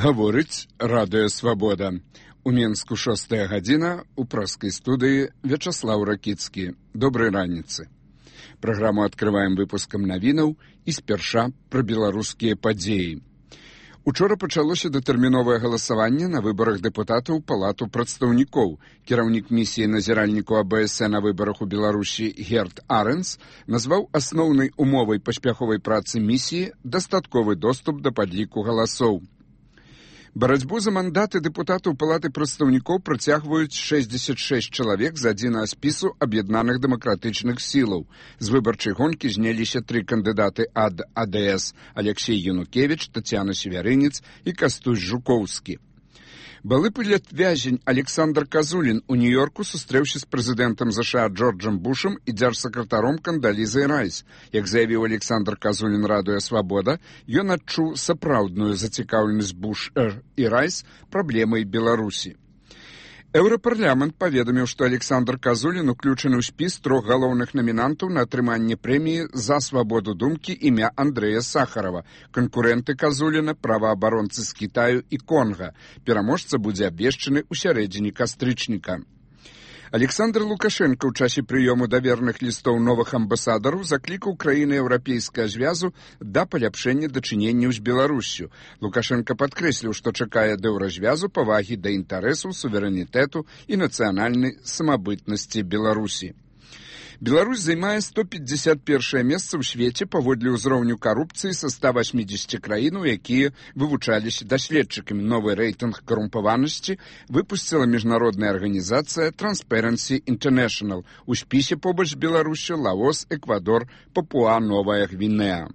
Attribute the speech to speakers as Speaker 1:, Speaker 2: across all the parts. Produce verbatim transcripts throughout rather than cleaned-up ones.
Speaker 1: Гаворыць радыё «Свабода». У Менску шостая гадзіна, у праскай студыі Вячаслаў Ракіцкі. Добрай раніцы. Праграму адкрываем выпускам навінаў і спярша пра беларускія падзеі. Учора пачалося датэрміновае галасаванне на выбарах дэпутатаў Палату прадстаўнікоў. Кіраўнік місіі назіральніку А Б С на выбарах у Беларусі Герт Арэнс назваў асноўнай умовай паспяховай працы місіі дастатковы доступ да падліку галасоў. Барацьбу за мандаты дэпутатаў Палаты прадстаўнікоў працягваюць шэсцьдзесят шэсць чалавек з адзінага спісу аб'яднаных дэмакратычных сілаў. З выбарчай гонкі зняліся тры кандыдаты ад А Д С – Алексей Янукевіч, Тацяна Севярынец і Кастусь Жукоўскі. Былы палітвязень Александр Казулін у Нью-Йорку сустрэўся з прэзідэнтам ЗША Джорджам Бушам і дзяржсакратаром Кандалізай Райс. Як заявіў Александр Казулін радыё «Свабода», ён адчуў сапраўдную зацікаўленасць Буш і Райс праблемай Беларусі. Еўрапарламент паведаміў, што Александр Казулін уключаны ў спіс трох галоўных намінантаў на атрыманне прэміі за свабоду думкі імя Андрэя Сахарова, канкурэнты Казуліна, праваабаронцы з Кітаю і Конга. Пераможца будзе абвешчаны ў сярэдзіне кастрычніка. Александр Лукашенко ў часе прыёму даверных лістоў новых амбасадараў заклікаў краіны еўрапейскага звязу да паляпшэння дачыненняў з Беларуссю. Лукашенко падкрэсліў, што чакае ад еўразвязу павагі да інтарэсаў, суверэнітэту і нацыянальнай самабытнасці Беларусі. Беларусь займае сто пятьдесят першае месца ў свеце паводле ўзроўню карупцыі са ста восьмідзесяці краінаў, якія вывучаліся даследчыкамі. Новы рэйтынг карумпаванасці выпусціла міжнародная арганізацыя Transparency International. У спісе побач з Беларуссю Лаос, Эквадор, Папуа-Новая Гвінея.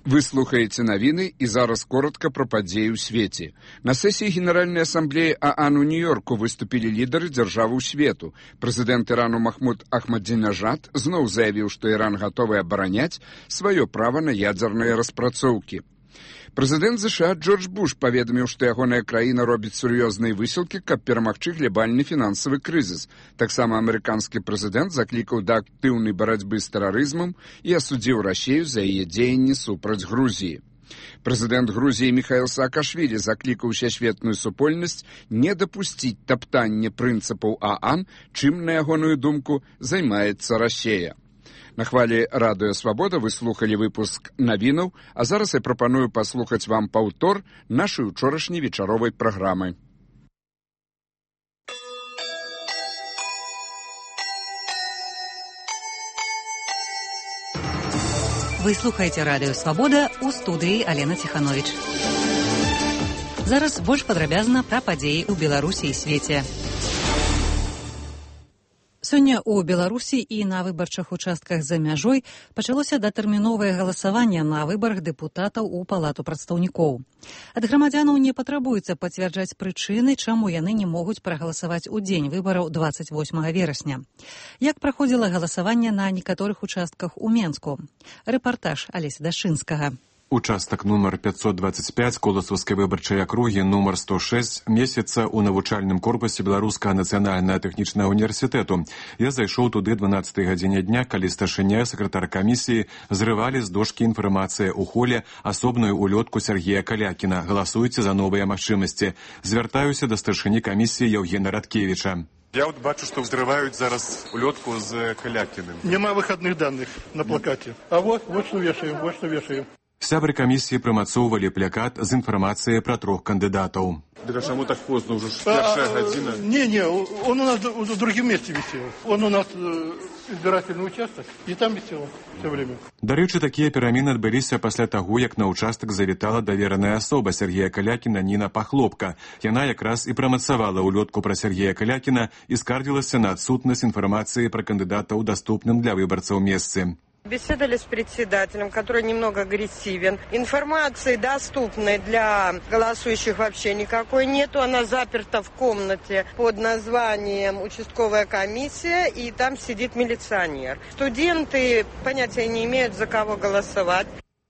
Speaker 1: Вы слухаеце навіны і зараз коротка пра падзеі ў свеце. На сесіі Генеральнай асамблеі ААН у Нью-Йорку выступілі лідары дзяржаваў свету. Прэзідэнт Ірану Махмуд Ахмадзінежад зноў заявіў, што Іран гатовы абараняць сваё права на ядзерныя распрацоўкі. Прэзідэнт ЗША Джордж Буш паведаміў, што ягоная краіна робіць сур'ёзныя высілкі, каб перамагчы глябальны фінансавы крызіс. Таксама амерыканскі прэзідэнт заклікаў да актыўнай барацьбы з тэрарызмам і асудзіў Расію за яе дзеянні супраць Грузіі. Прэзідэнт Грузіі Міхаіл Саакашвілі заклікаў усесветную супольнасць не дапусціць таптання прынцыпаў ААН, чым, на ягоную думку, займаецца Расія. На хвалі радыё «Свабода» вы слухалі выпуск навінаў, а зараз я прапаную паслухаць вам паўтор нашай учорашняй вечаровай праграмы.
Speaker 2: Вы слухаеце радыё «Свабода», у студыі Алена Ціхановіч. Зараз больш падрабязна пра падзеі ў Беларусі і свеце. Сёння ў Беларусі і на выбарчых участках за мяжой пачалося датэрміновае галасаванне на выбарах дэпутатаў у Палату прадстаўнікоў. Ад грамадзянаў не патрабуецца пацвярджаць прычыны, чаму яны не могуць прагаласаваць у дзень выбараў дваццаць восьмага верасня. Як праходзіла галасаванне на некаторых участках у Менску? Рэпартаж Алеся Дашынскага.
Speaker 3: Участак нумар пятьсот двадцать пять Коласовскай выбарчай акругі нумар сто шесть месяца ў навучальным корпусе Беларускага нацыянальнага тэхнічнага універсітэту. Я зайшоў туды дванаццатай гадзіне дня, калі старшыня, сакратар камісіі зрывалі з дошкі інфармацыі ў холе асобную улётку Сергея Калякіна. Галасуйце за новыя магчымасці. Звяртаюся да старшыні камісіі Яўгена Радкевіча.
Speaker 4: Я вот бачу, что взрывают зараз улетку с Калякиным.
Speaker 5: Нема выходных данных на плакате. А вот, вот что вешаем, вот что вешаем.
Speaker 3: Сябры камісіі прымацоўвалі плакат з інфармацыяй пра трох кандыдатаў.
Speaker 4: Да чему так поздно, уже першая гадзіна?
Speaker 5: Не, не, он у нас в другом месте висел. Он у нас избирательный участок, и там висел все время.
Speaker 3: Дарэчы, такія перамены адбыліся пасля таго, як на участак завітала давераная асоба Сергея Калякіна Ніна Пахлопка. Яна якраз і прамацавала улётку пра Сергея Калякіна і скардзілася на адсутнасць інфармацыі пра кандыдата ў даступным для выбарцаў месцы.
Speaker 6: Беседовали с председателем, который немного агрессивен. Информации доступной для голосующих вообще никакой нету. Она заперта в комнате под названием «Участковая комиссия», и там сидит милиционер. Студенты понятия не имеют, за кого голосовать.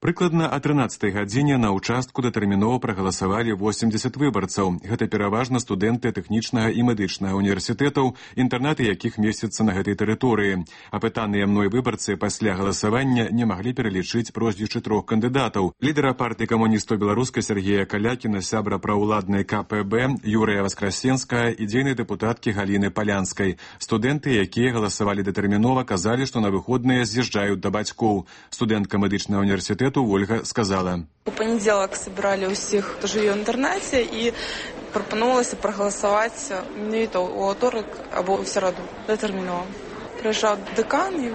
Speaker 3: Прыкладна о трынаццатай гадзіне на ўчастку датэрмінова прагаласавалі восемьдесят выбарцаў. Гэта пераважна студэнты тэхнічнага і медычнага універсітэтаў, інтэрнаты якіх месяцца на гэтай тэрыторыі. Апытаныя мной выбарцы пасля галасавання не маглі пералічыць прозвішчы трох кандыдатаў. Лідара партыі камуністаў беларускай Сергея Калякіна, сябра праўладнай ка пэ бэ Юрыя Васкрасенскага і дзейнай дэпутаткі Галіны Палянскай. Студэнты, якія галасавалі датэрмінова, казалі, што на выходныя з'язджаюць да бацькоў. Студэнтка медычнага універсітэту Ольга сказала.
Speaker 7: У панядзелак собирали усіх, хто жыве ў інтэрнаце, і прапанувалася прагаласаваць менавіта ў аўторак або ў сераду датэрмінова. Прыязджаў дэкан і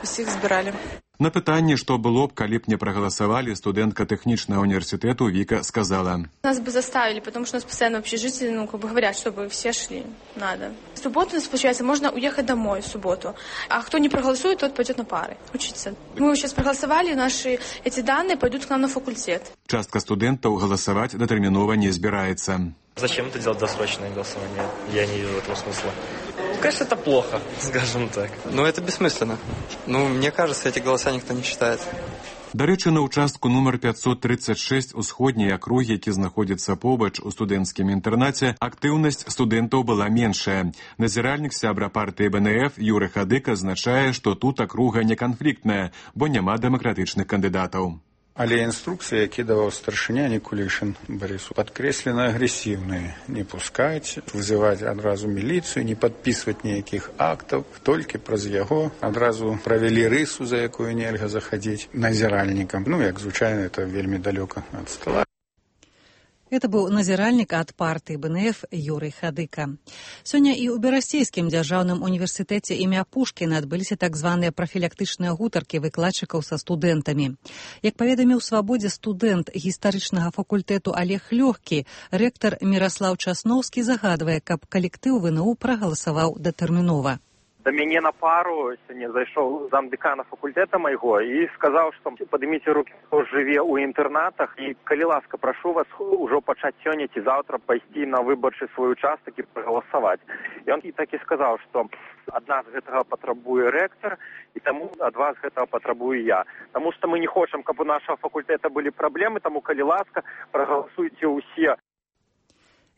Speaker 7: усіх збіралі.
Speaker 3: На пытанне, што было б, калі б не прагаласавалі, студэнтка тэхнічнага універсітэту Віка сказала.
Speaker 8: Нас бы заставили, потому что у нас постоянно общежитие, ну, как бы говорят, чтобы все шли. Надо. В субботу, получается, можно уехать домой в субботу. А кто не проголосует, тот пойдет на пары учиться. Мы сейчас проголосовали, наши эти данные пойдут к нам на факультет.
Speaker 3: Частка студэнтаў галасаваць датэрмінова не збіраецца.
Speaker 9: Зачем это делать досрочное голосование? Я не вижу этого смысла. Конечно, это плохо, скажем так.
Speaker 10: Но это бессмысленно. Ну, мне кажется, эти голоса никто не считает.
Speaker 3: Дарэчы, на ўчастку нумар пятьсот тридцать шесть усходняй акругі, які знаходзіцца побач у студэнцкім інтэрнаце, актыўнасць студэнтаў была меншая. Назіральнік сябра партыі бэ эн эф Юры Хадыка азначае, што тут акруга не канфліктная, бо няма дэмакратычных кандыдатаў.
Speaker 11: Але інструкцыі, які даваў старшыня Никулишин Борису, падкрэслены агрэсіўныя. Не пускаць, вызываць адразу міліцыю, не падпісваць ніякіх актаў, толькі праз яго адразу правялі рысу, за якую нельга захадзіць назіральнікам. Ну, як звычайна, это вельмі далёка ад стола.
Speaker 2: Это быў назіральнік ад партыі бэ эн эф Юрый Хадыка. Сёння і ў Берасцейскім дзяржаўным універсітэце імя Пушкіна адбыліся так званыя прафілактычныя гутаркі выкладчыкаў са студэнтамі. Як паведаміў Свабодзе студэнт гістарычнага факультэту Олег Лёгкі, рэктар Міраслаў Часноўскі загадвае, каб калектыў вэ эн у прагаласаваў датэрмінова.
Speaker 12: Да мяне на пару сёння зайшоў замдэкана факультэта майго і сказаў, што падыміце рукі, хто жыве ў інтэрнатах, і калі ласка, прашу вас ужо пачаць сёння ці заўтра пайсці на выбарчы свой участак і прагаласаваць. І он і так і сказаў, што ад нас гэтага патрабуе рэктар, і таму ад вас гэтага патрабую я. Таму што мы не хочам, каб у нашага факультэта былі праблемы, таму калі ласка, прагаласуйце ўсе.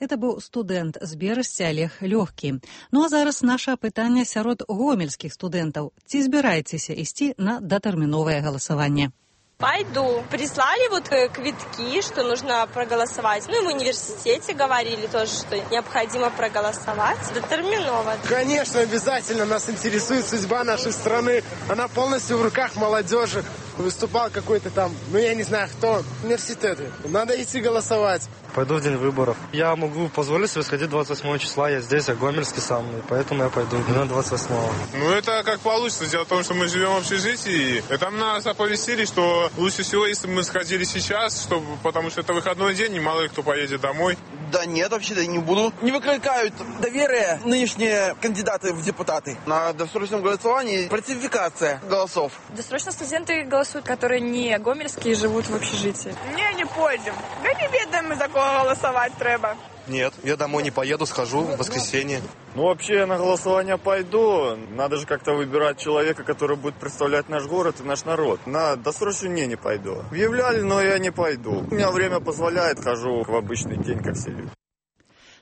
Speaker 2: Это быў студэнт з Берасці Олег Лёгкі. Ну а зараз наша пытанне сярод гомельскіх студэнтаў. Ці збіраецеся ісці на датэрміновае галасаванне?
Speaker 13: Пойду. Прислали вот квитки, что нужно проголосовать. Ну и в университете говорили тоже, что необходимо проголосовать. Детерминово.
Speaker 14: Конечно, обязательно. Нас интересует судьба нашей страны. Она полностью в руках молодежи. Выступал какой-то там, ну я не знаю кто, университеты. Надо идти голосовать.
Speaker 15: Пойду в день выборов. Я могу позволить себе сходить двадцать восьмого числа. Я здесь, я гомельский сам, и поэтому я пойду на двадцать восьмого.
Speaker 16: Ну это как получится. Дело в том, что мы живем в общежитии. И там нас оповестили, что лучше всего, если бы мы сходили сейчас, чтобы, потому что это выходной день, и мало ли кто поедет домой.
Speaker 17: Да нет, вообще-то не буду. Не выкликают доверие нынешние кандидаты в депутаты. На досрочном голосовании фальсификация голосов.
Speaker 8: Досрочно студенты голосуют, которые не гомельские, живут в общежитии.
Speaker 18: Не, не пойдем. Да не ведаем, за кого голосовать треба.
Speaker 19: Нет, я домой не поеду, схожу в воскресенье.
Speaker 20: Ну, вообще, я на голосование пойду. Надо же как-то выбирать человека, который будет представлять наш город и наш народ. На досрочную не, не пойду. Объявляли, но я не пойду. У меня время позволяет, хожу в обычный день, как все люди.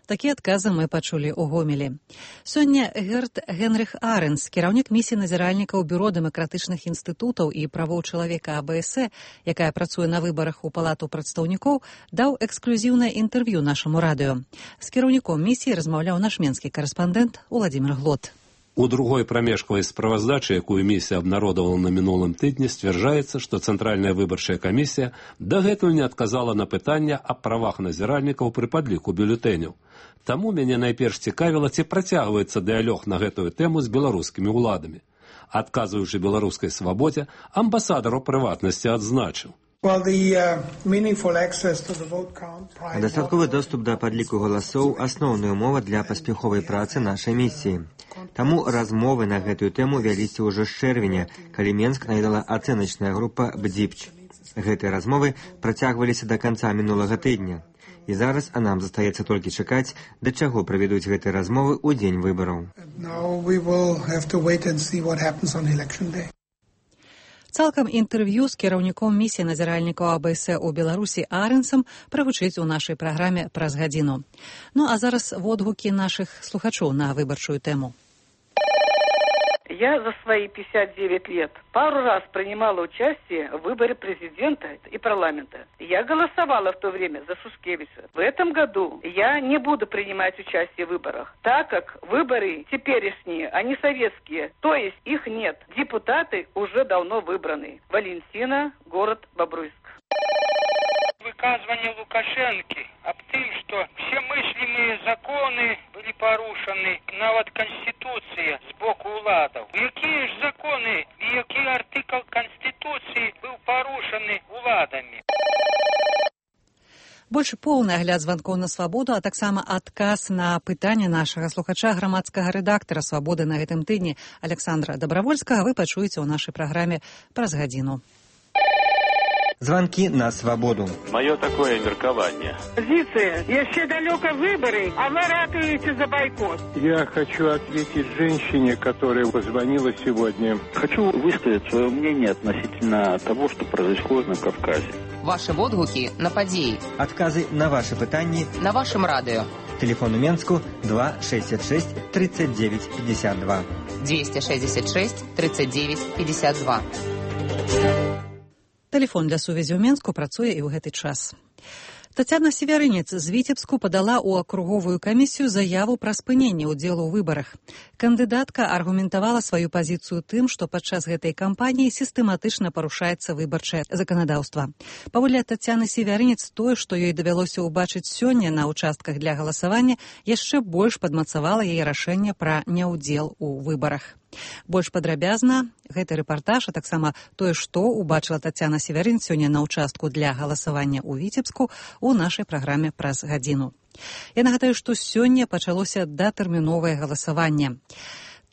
Speaker 2: Такія адказы мы пачулі ў Гомелі. Сёння Герт Генрых Аренс, кіраўнік місіі назіральніка ў бюро дэмакратычных інстытутаў і правоў чалавека а бэ эс э, якая працуе на выбарах у палату прадстаўнікоў, даў эксклюзіўнае інтэрв'ю нашаму радыё. З кіраўніком місіі размаўляў наш менскі карэспандэнт Уладзімір Глот.
Speaker 21: У другой прамежкавай справаздачы, якую місія абнародавала на мінулым тыдні, сцвярджаецца, што Цэнтральная выбарчая камісія дагэтуль не адказала на пытанне аб правах назіральнікаў пры падліку бюлетэняў. Таму мяне найперш цікавіла, ці працягваецца дыялог на гэтую тэму з беларускімі ўладамі. Адказваючы беларускай свабодзе, амбасадар у прыватнасці адзначыў.
Speaker 22: Дастатковы доступ да падліку галасоў – асноўная ўмова для паспяховай працы нашай місіі. Таму размовы на гэтую тэму вяліся ўжо з чэрвеня, калі Менск наведала ацэначная група «Бдзіпч». Гэтыя размовы працягваліся да канца мінулага тыдня. І зараз а нам застаецца толькі чакаць, да чаго правядуць гэтыя размовы ў дзень выбараў.
Speaker 2: Цалкам інтэрв'ю з кіраўніком місіі назіральнікаў АБС у Беларусі Арэнсам прагучыць у нашай праграме праз гадзіну. Ну а зараз водгукі нашых слухачоў на выбарчую тэму.
Speaker 1: Я за свои пятьдесят девять лет пару раз принимала участие в выборе президента и парламента. Я голосовала в то время за Шушкевича. В этом году я не буду принимать участие в выборах, так как выборы теперешние, они советские, то есть их нет. Депутаты уже давно выбраны. Валентина, город Бобруйск.
Speaker 4: Выказывание Лукашенко об том, что все мыслимые законы были порушены, нават Конституция с боку уладов. Какие же законы и какой артикл Конституции был порушены уладами?
Speaker 2: Больш поўны агляд званкоў на свабоду, а таксама адказ на пытанне нашага слухача грамадскага рэдактара «Свабоды» на гэтым тыдні Александра Добравольскага вы пачуеце ў нашай праграме праз гадзіну.
Speaker 22: Звонки на свободу.
Speaker 23: Мое такое меркование.
Speaker 1: Позиция. Еще далеко выборы, а вы ратуете за бойкот.
Speaker 24: Я хочу ответить женщине, которая позвонила сегодня.
Speaker 23: Хочу высказать свое мнение относительно того, что происходит на Кавказе.
Speaker 25: Ваши водгуки на подеи.
Speaker 22: Отказы на ваши пытания.
Speaker 25: На вашем радио.
Speaker 22: Телефон у Менску два шестьдесят шесть тридцать девять пятьдесят два.
Speaker 25: двести шестьдесят шесть тридцать девять пятьдесят два.
Speaker 2: Тэлефон для сувязі ў Менску працуе і ў гэты час. Тацяна Севярынец з Віцебску падала ў акруговую камісію заяву пра спыненне ўдзелу ў выбарах. Кандыдатка аргументавала сваю пазіцыю тым, што падчас гэтай кампаніі сістэматычна парушаецца выбарчае заканадаўства. Паводле Тацяны Севярынец, тое, што ёй давялося ўбачыць сёння на ўчастках для галасавання, яшчэ больш падмацавала яе рашэнне пра няўдзел у выбарах. Больш падрабязна гэты рэпартаж, а таксама тое, што ўбачыла Тацяна Севярынец сёння на ўчастку для галасавання ў Віцебску у нашай праграме праз гадзіну. Я нагадаю, што сёння пачалося датэрміновае галасаванне.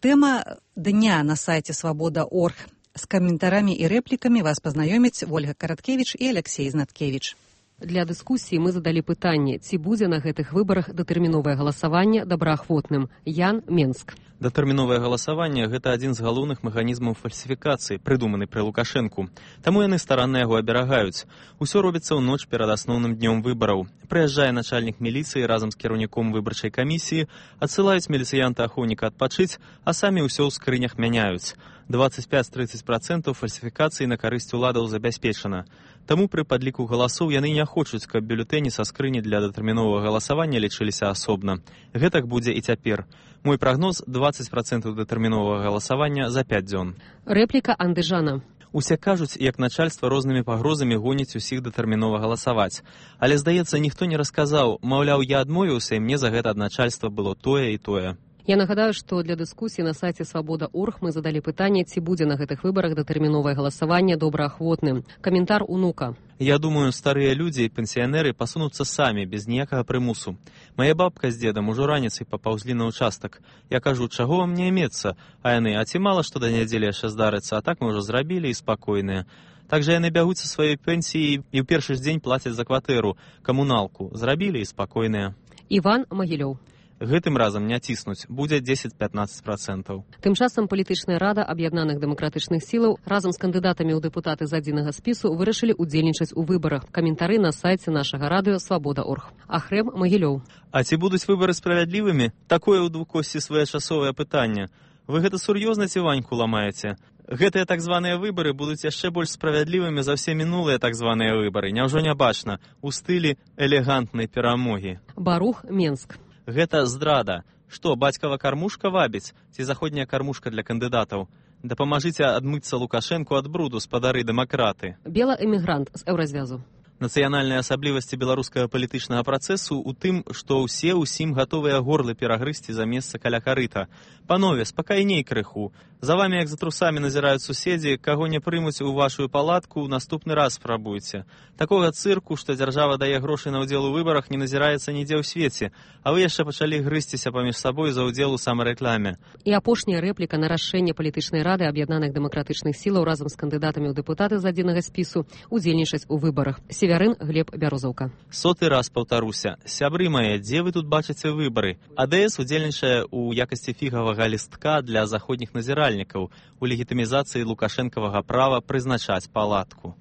Speaker 2: Тэма дня на сайце свабода точка орг. З каментарамі і рэплікамі вас пазнаёмяць Ольга Караткевіч і Алексей Знаткевіч.
Speaker 26: Для дыскусіі мы задалі пытанне, ці будзе на гэтых выбарах датэрміновае галасаванне добраахвотным. Ян, Менск.
Speaker 27: Датэрміновае галасаванне – гэта адзін з галоўных механізмаў фальсіфікацыі, прыдуманы пры Лукашэнку. Таму яны старанна яго аберагаюць. Усё робіцца ў ноч перад асноўным днём выбараў. Прыязджае начальнік міліцыі разам з кіраўніком выбарчай камісіі, адсылаюць міліцыянта-ахоўніка адпачыць, а самі ўсё ў скрынях мяняюць. двадцать пять - тридцать процентов фальсіфікацыі на карысць уладаў забяспечана. Таму пры падліку галасоў яны не хочуць, каб бюлетэні са скрыні для датэрміновага галасавання лічыліся асобна. Гэтак будзе і цяпер. Мой прагноз – двадцать процентов датэрміновага галасавання за пять дзён.
Speaker 26: Рэпліка Андыжана.
Speaker 27: Усе кажуць, як начальства рознымі пагрозамі гоніць усіх датэрмінова галасаваць. Але, здаецца, ніхто не расказаў, маўляў, я адмовіўся, і мне за гэта ад начальства было тое і тое.
Speaker 26: Я нагадаю, што для дыскусіі на сайце свабода точка орг мы задалі пытанне, ці будзе на гэтых выбарах датэрміновае галасаванне добраахвотным. Каментар унука.
Speaker 27: Я думаю, старыя людзі і пенсіянеры пасунуцца самі, без ніякага прымусу. Мая бабка з дзедам ужо раніцай папаўзлі на ўчастак. Я кажу, чаго вам не мецца? А яны, а ці мала што да нядзелі яшчэ здарыцца, а так мы ўжо зрабілі і спакойныя. Так жа яны бягуць са сваёй пенсіі і ў першы ж дзень плацяць за кватэру, камуналку. Зрабілі і спакойныя.
Speaker 26: Іван Магілёў.
Speaker 27: Гэтым разам не ціснуць, будзе дзесяць - пятнаццаць процентаў.
Speaker 26: Тым часам палітычная рада аб'яднаных дэмакратычных сілаў разам з кандыдатамі ў дэпутаты з адзінага спісу вырашылі ўдзельнічаць у выбарах. Каментары на сайце нашага радыё свабода точка орг. Ахрэм Магілёў.
Speaker 27: А ці будуць выбары справядлівымі? Такое ў двукосці своечасовае пытанне. Вы гэта сур'ёзна ці ваньку ламаеце? Гэтыя так званыя выбары будуць яшчэ больш справядлівымі за ўсе мінулыя так званыя выбары. Няўжо не бачна? У стылі элегантнай перамогі.
Speaker 26: Барух, Менск.
Speaker 27: Гэта здрада. Што, бацькава кармушка вабіць? Ці заходняя кармушка для кандыдатаў? Дапамажыце адмыцца Лукашэнку ад бруду, спадары дэмакраты.
Speaker 26: Бела-эмігрант з Еўразвязу.
Speaker 27: Нацыянальныя асаблівасці беларускага палітычнага працэсу ў тым, што ўсе ўсім гатовыя горлы перагрызці за месца каля карыта. Панове, спакайней крыху. За вамі, як за трусамі, назіраюць суседзі, каго не прымуць у вашую палатку, наступны раз спрабуйце. Такога цырку, што дзяржава дае грошы на ўдзел у выбарах, не назіраецца нідзе ў свеце, а вы яшчэ пачалі грызціся паміж сабой за ўдзел у самарэкламе.
Speaker 26: І апошняя рэпліка на рашэнне палітычнай рады аб'яднаных дэмакратычных сілаў разам з кандыдатамі ў дэпутаты з адзінага спісу удзельнічаць у выбарах. Севярын, Глеб, Бярозаўка.
Speaker 27: Соты раз паўтаруся. Сябры мае, дзе вы тут бачыце выбары? АДС удзельнічае ў якасці фігавага лістка для заходніх назіральнікаў у легітымізацыі лукашэнкавага права прызначаць палатку.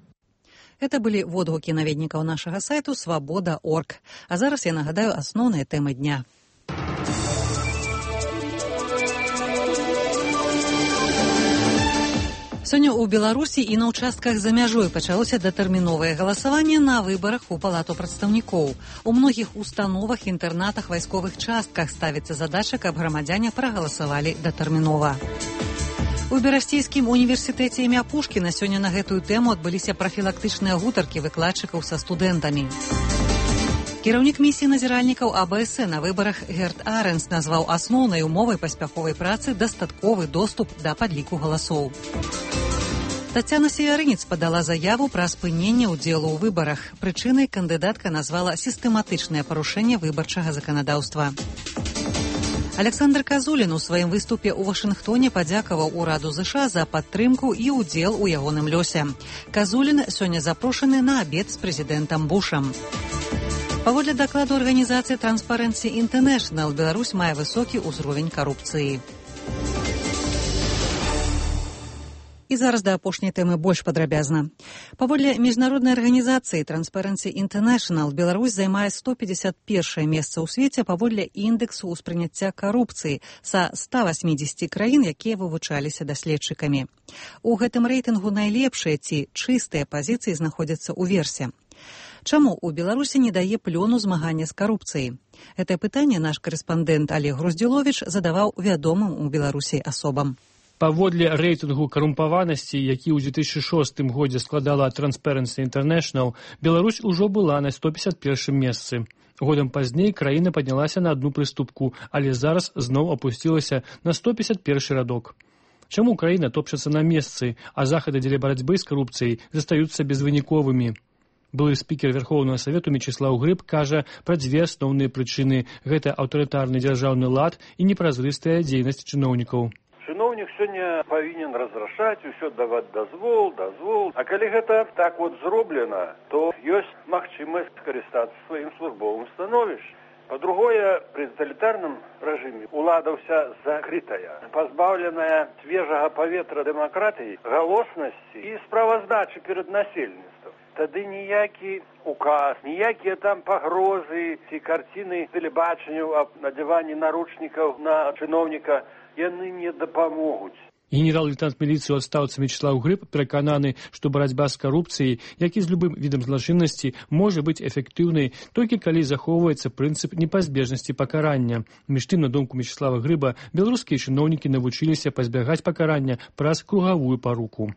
Speaker 2: Это былі водгукі наведнікаў нашага сайту свабода точка орг. А зараз я нагадаю асноўныя тэмы дня. Сёння ў Беларусі і на ўчастках за мяжой пачалося датэрміновае галасаванне на выбарах у палату прадстаўнікоў. У многіх установах, інтэрнатах, вайсковых частках ставіцца задача, каб грамадзяне прагаласавалі датэрмінова. У Берасцейскім універсітэце імя Пушкіна сёння на гэтую тэму адбыліся прафілактычныя гутаркі выкладчыкаў са студэнтамі. Кіраўнік місіі назіральнікаў АБС на выбарах Герт Аренс назваў асноўнай умовай паспяховай працы дастатковы доступ да падліку галасоў. Тацяна Севярынец падала заяву пра спыненне ўдзелу ў выбарах. Прычынай кандыдатка назвала сістэматычнае парушэнне выбарчага заканадаўства. Александр Казулін у сваім выступе ў Вашынгтоне падзякаваў ураду ЗША за падтрымку і ўдзел у ягоным лёсе. Казулін сёння запрошаны на абед з прэзідэнтам Бушам. Паводле дакладу арганізацыі Transparency International, Беларусь мае высокі ўзровень карупцыі. І зараз да апошняй тэмы больш падрабязна. Паводле міжнароднай арганізацыі Transparency International, Беларусь займае сто пятьдесят первое месца ў свеце паводле індэксу ўспрыняцця карупцыі са ста восьмидесяти краін, якія вывучаліся даследчыкамі. У гэтым рэйтынгу найлепшыя ці чыстыя пазіцыі знаходзяцца ў версе. Чаму ў Беларусі не дае плёну змагання з карупцыяй? Гэтае пытанне наш карэспандэнт Олег Груздзіловіч задаваў вядомым у Беларусі асобам.
Speaker 3: Паводле рэйтынгу карумпаванасці, які ў две тысячи шостым годзе складала Transparency International, Беларусь ужо была на сто пятьдесят первом месцы. Годам пазней краіна паднялася на одну прыступку, але зараз зноў апусцілася на сто пятьдесят первый радок. Чаму краіна топчацца на месцы, а захады дзеля барацьбы з карупцыяй застаюцца безвыніковымі? Былы спікер Верховнага Савету Мечыслаў Грыб кажа пра дзве асноўныя прычыны. Гэта аўтарытарны дзяржаўны лад і непразрыстая дзейнасць чыноўнікаў.
Speaker 5: Чыноўнік сёння павінен разрашаць, усё даваць дазвол, дазвол. А калі гэта так вот зроблена, то ёсць магчымасць скарыстацца сваім службовым становішчам. Па-другое, пры таталітарным рэжыме ўлада ўся закрытая, пазбаўленая свежага паветра дэмакратыі, галоснасці і справаздачы перад насельніцтвам. Тады ніякі указ, ніякія там пагрозы ці карціны тэлебачанняў аб надзяванні наручнікаў на чыноўніка яны не дапамогуць.
Speaker 3: Генерал-лейтенант міліцыі ў адстаўцы Мечыслаў Грыб перакананы, што барацьба з карупцыяй, як і з любым відам злачыннасці, можа быць эфектыўнай толькі калі захоўваецца прынцып непазбежнасці пакарання. Між тым, на думку Мечыслава Грыба, беларускія чыноўнікі навучыліся пазбягаць пакарання праз кругавую паруку.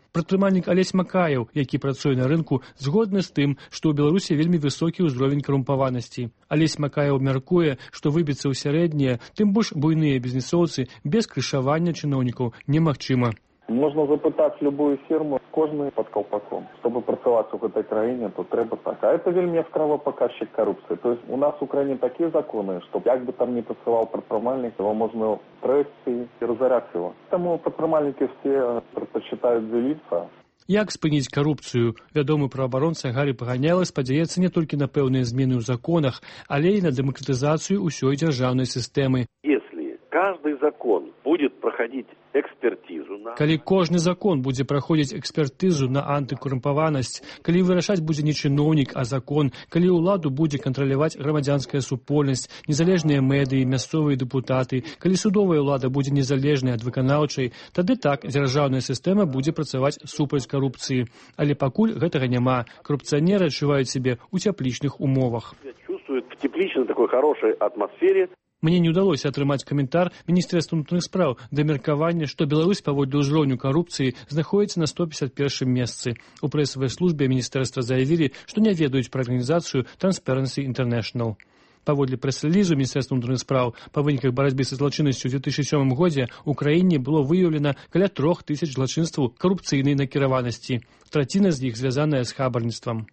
Speaker 3: Прадпрымальнік Алесь Макаеў, які працуе на рынку, згодны з тым, што ў Беларусі вельмі высокі ўзровень карумпаванасці. Алесь Макаеў мяркуе, што выбіцца ў сярэднія, тым больш буйныя бізнесоўцы без крышавання чыноўнікаў немагчыма.
Speaker 6: Можна запытаць любую фірму, кожны пад каўпаком. Чтобы працаваць у гэтай краіне, то трэба так. А это вельмі яскравы паказчык карупцыі. То есть у нас у краіне такія законы, што як бы там не працаваў прадпрымальнік, его можна трэсці і разаряць его. Таму прадпрымальнікі все прадпачытаюць дзеліцца.
Speaker 3: Як спыніць карупцыю? Вядомы праабаронца Гарі Паганяла спадзяецца не толькі на пэўныя змены ў законах, але і на дэмакратызацыю ўсёй дзяржаўнай сістэмы.
Speaker 7: Если каждый закон будет проходить экспертизу на...
Speaker 3: Калі кожны закон будзе праходзіць экспертызу на антыкарумпаванасць, калі вырашаць будзе не чыноўнік, а закон, калі ўладу будзе кантраляваць грамадзянская супольнасць, незалежныя медыі, мясцовыя дэпутаты, калі судовая ўлада будзе незалежнай ад выканаўчай, тады так дзяржаўная сістэма будзе працаваць супраць карупцыі. Але пакуль гэтага няма. Карупцыянеры адчуваюць сябе ў цяплічных умовах.
Speaker 7: Чувствуют в тепличной такой хорошей атмосфере.
Speaker 3: Мне не ўдалося атрымаць каментар Міністэрства ўнутраных спраў да меркавання, што Беларусь паводле ўзроўню карупцыі знаходзіцца на сто пятьдесят первом месцы. У прэсавай службе міністэрства заявілі, што не ведаюць пра арганізацыю Transparency International. Паводле прэс-рэлізу Міністэрства ўнутраных спраў па выніках барацьбы са злачыннасцю ў две тысячи сёмым годзе ў краіне было выяўлена каля трох тысяч злачынстваў карупцыйнай накіраванасці. Траціна з іх звязаная з хабарніцтвам.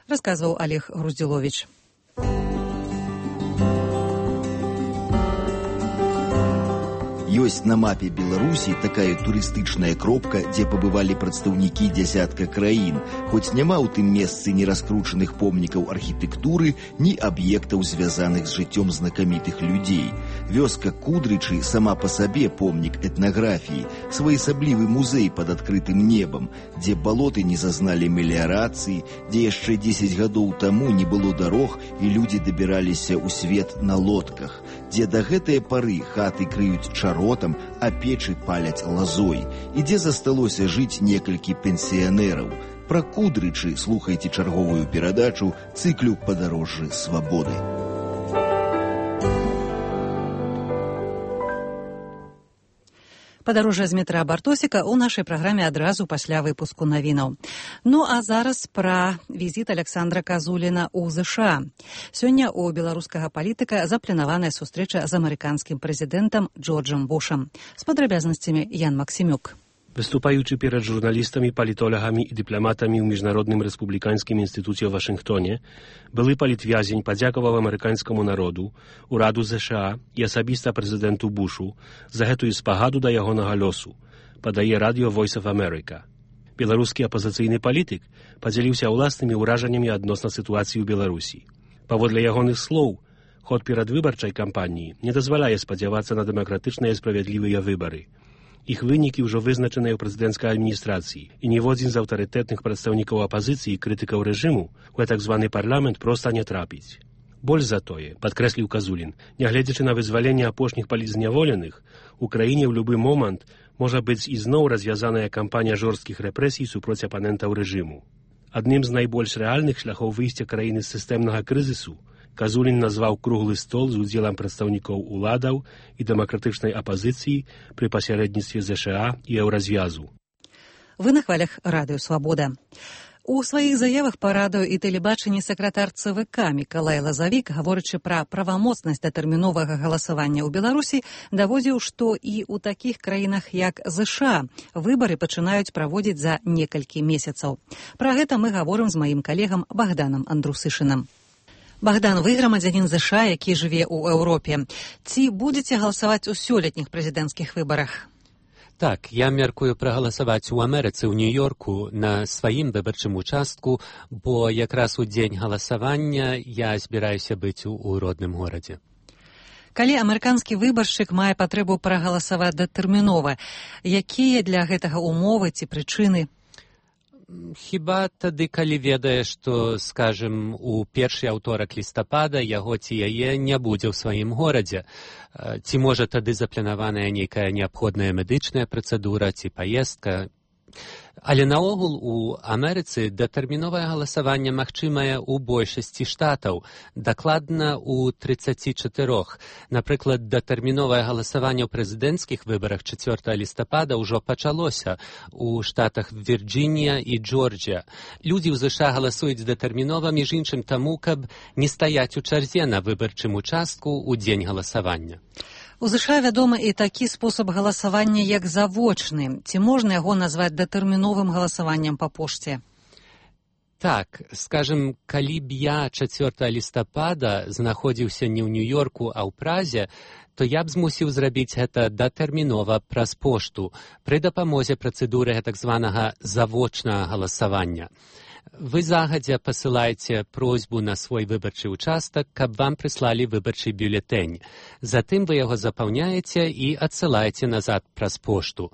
Speaker 2: Расказваў Олег Груздзіловіч.
Speaker 9: Ёсць на мапе Беларусі такая турыстычная кропка, дзе пабывалі прадстаўнікі дзясятка краін, хоць няма ў тым месцы ні раскручаных помнікаў архітэктуры, ні аб'ектаў, звязаных з жыццём знакамітых людзей. Вёска Кудрычы сама па сабе помнік этнаграфіі, своеасаблівы музей пад адкрытым небам, дзе балоты не зазналі меліярацыі, дзе яшчэ дзесяць гадоў таму не было дарог і людзі дабіраліся ў свет на лодках, дзе да гэтае пары хаты крыюць чаротам, а печы паляць лазой, і дзе засталося жыць некалькі пенсіянераў. Пра Кудрычы слухайце чарговую перадачу цыклю «Падарожжы свабоды».
Speaker 2: Падарожжа з метра Бартосіка ў нашай праграме адразу пасля выпуску навінаў. Ну а зараз пра візіт Александра Казуліна ў ЗША. Сёння ў беларускага палітыка запланаваная сустрэча з амерыканскім прэзідэнтам Джорджам Бушам. З падрабязнасцямі Ян Максімюк.
Speaker 10: Występujący przed żurnalistami, politologami i dyplomatami w Międzynarodnym Republikańskim Instytucie w Waszyngtonie, były politwiazień podziękował amerykańskiemu narodu, uradu Z S A i osobista prezydentu Bushu za tę spagadu do jego losu, podaje Radio Voice of America. Białoruski opozycyjny polityk podzielił się własnymi urażeniami odnośnie sytuacji w Białorusi. Powodle jego słów, chod przedwyborczej kampanii nie dozwalaje spodziewać się na demokratyczne i sprawiedliwe wybory. Ich wyniki już wyznaczone w prezydenckiej administracji i niewodzi z autorytetnych przedstawników opozycji i krytyków reżimu, w tak zwany parlament prosto nie trapić. Bolj za to je, podkreślił Kazulin, nie глядячи na wyzwolenie opośnych politzniewolonych, Ukrainie w любой moment może być i znowu rozwiązana kampania żorskich represji suproć oponentów reżimu. Одним z najbardziej realnych szlachów wyjścia krainy z systemnego kryzysu Казулін назваў круглы стол з удзелам прадстаўнікоў уладаў і дэмакратычнай апазіцыі пры пасярэдніцтве З Ш А і Еўразвязу.
Speaker 2: Вы на хвалях Радыё Свабода. У сваіх заявах па радыё і тэлебачанні сакратар Цэ Вэ Ка Мікалай Лазавік, гаворачы пра правамоцнасць датэрміновага галасавання ў Беларусі, даводзіў, што і ў такіх краінах, як З Ш А, выбары пачынаюць праводзіць за некалькі месяцаў. Пра гэта мы гаворым з маім калегам Богданам Андрусышынам. Богдан, вы грамадзянін З Ш А, які жыве ў Еўропе. Ці будзеце галасаваць у сёлетніх прэзідэнцкіх выбарах?
Speaker 21: Так, я мяркую прагаласаваць у Амерыцы, ў Нью-Йорку, на сваім выбарчым участку, бо якраз у дзень галасавання я збіраюся быць у, у родным горадзе.
Speaker 2: Калі амерыканскі выбаршчык мае патрэбу прагаласаваць датэрмінова, якія для гэтага умовы ці прычыны?
Speaker 21: Хіба тады, калі ведае, што, скажем, у першы аўторак лістапада яго ці яе не будзе ў сваім горадзе. Ці можа тады запланаваная нейкая неабходная медычная працэдура ці паездка. Але наогул у Амерыцы датэрміновае галасаванне магчымае ў большасці штатаў, дакладна ў трыццаці чатырох. Напрыклад, датэрміновае галасаванне ў прэзідэнцкіх выбарах чацвёртага лістапада ўжо пачалося ў штатах Вірджынія і Джорджія. Людзі ў З Ш А галасуюць датэрмінова, між іншым таму, каб не стаяць у чарзе на выбарчым участку ў дзень галасавання.
Speaker 2: У З Ш А вядомы і такі спосаб галасавання, як завочны. Ці можна яго назваць датэрміновым галасаваннем па пошце?
Speaker 21: Так, скажем, калі б я чацвёртага лістапада знаходзіўся не ў Нью-Йорку, а ў Празе, то я б змусіў зрабіць гэта датэрмінова праз пошту пры дапамозе працэдуры так званага завочнага галасавання. Вы загадзя пасылаеце просьбу на свой выбарчы участак, каб вам прыслалі выбарчы бюлетэнь. Затым вы яго запаўняеце і адсылаеце назад праз пошту.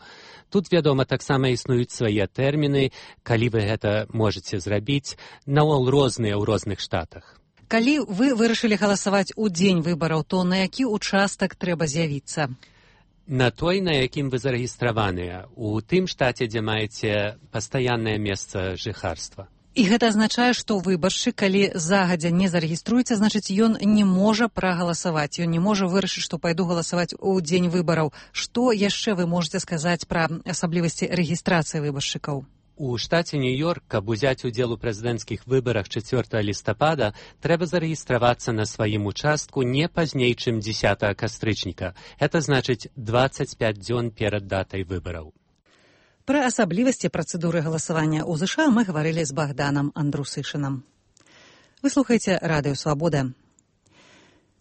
Speaker 21: Тут, вядома, таксама існуюць свае тэрміны, калі вы гэта можаце зрабіць, наогул розныя ў розных штатах.
Speaker 2: Калі вы вырашылі галасаваць у дзень выбараў, то на які участак трэба з'явіцца?
Speaker 21: На той, на якім вы зарэгістраваныя, у тым штаце, дзе маеце пастаяннае месца жыхарства.
Speaker 2: І гэта азначае, што выбаршчык, калі загадзя не зарэгіструецца, значыць, ён не можа прагаласаваць. Ён не можа вырашыць, што пайду галасаваць у дзень выбараў. Што яшчэ вы можаце сказаць пра асаблівасці рэгістрацыі выбаршчыкаў?
Speaker 21: У штаце Нью-Йорк, каб узяць удзел у прэзідэнцкіх выбарах чацвёртага лістапада, трэба зарэгістравацца на сваім участку не пазней, чым дзесятага кастрычніка. Гэта значыць дваццаць пяць дзён перад датай выбараў.
Speaker 2: Пра асаблівасці працэдуры галасавання ў З Ш А мы гаварылі з Богданам Андрусышынам. Вы слухаеце Радыё Свабода.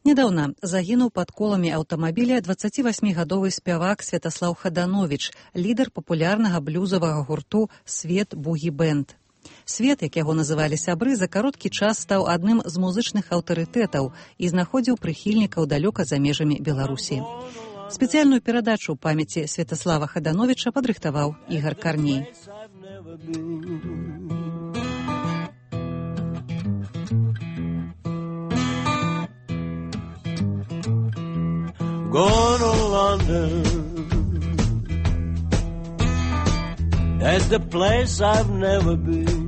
Speaker 2: Нядаўна загінуў пад коламі аўтамабіля дваццацівасьмігадовы спявак Святаслаў Хадановіч, лідар папулярнага блюзавага гурту «Свет бугі-бэнд». Свет, як яго называлі сябры, за кароткі час стаў адным з музычных аўтарытэтаў і знаходзіў прыхільнікаў далёка за межамі Беларусі. Спецыяльную перадачу памяці Святаслава Хадановіча падрыхтаваў Ігар Карней.
Speaker 11: Going to London, that's the place I've never been.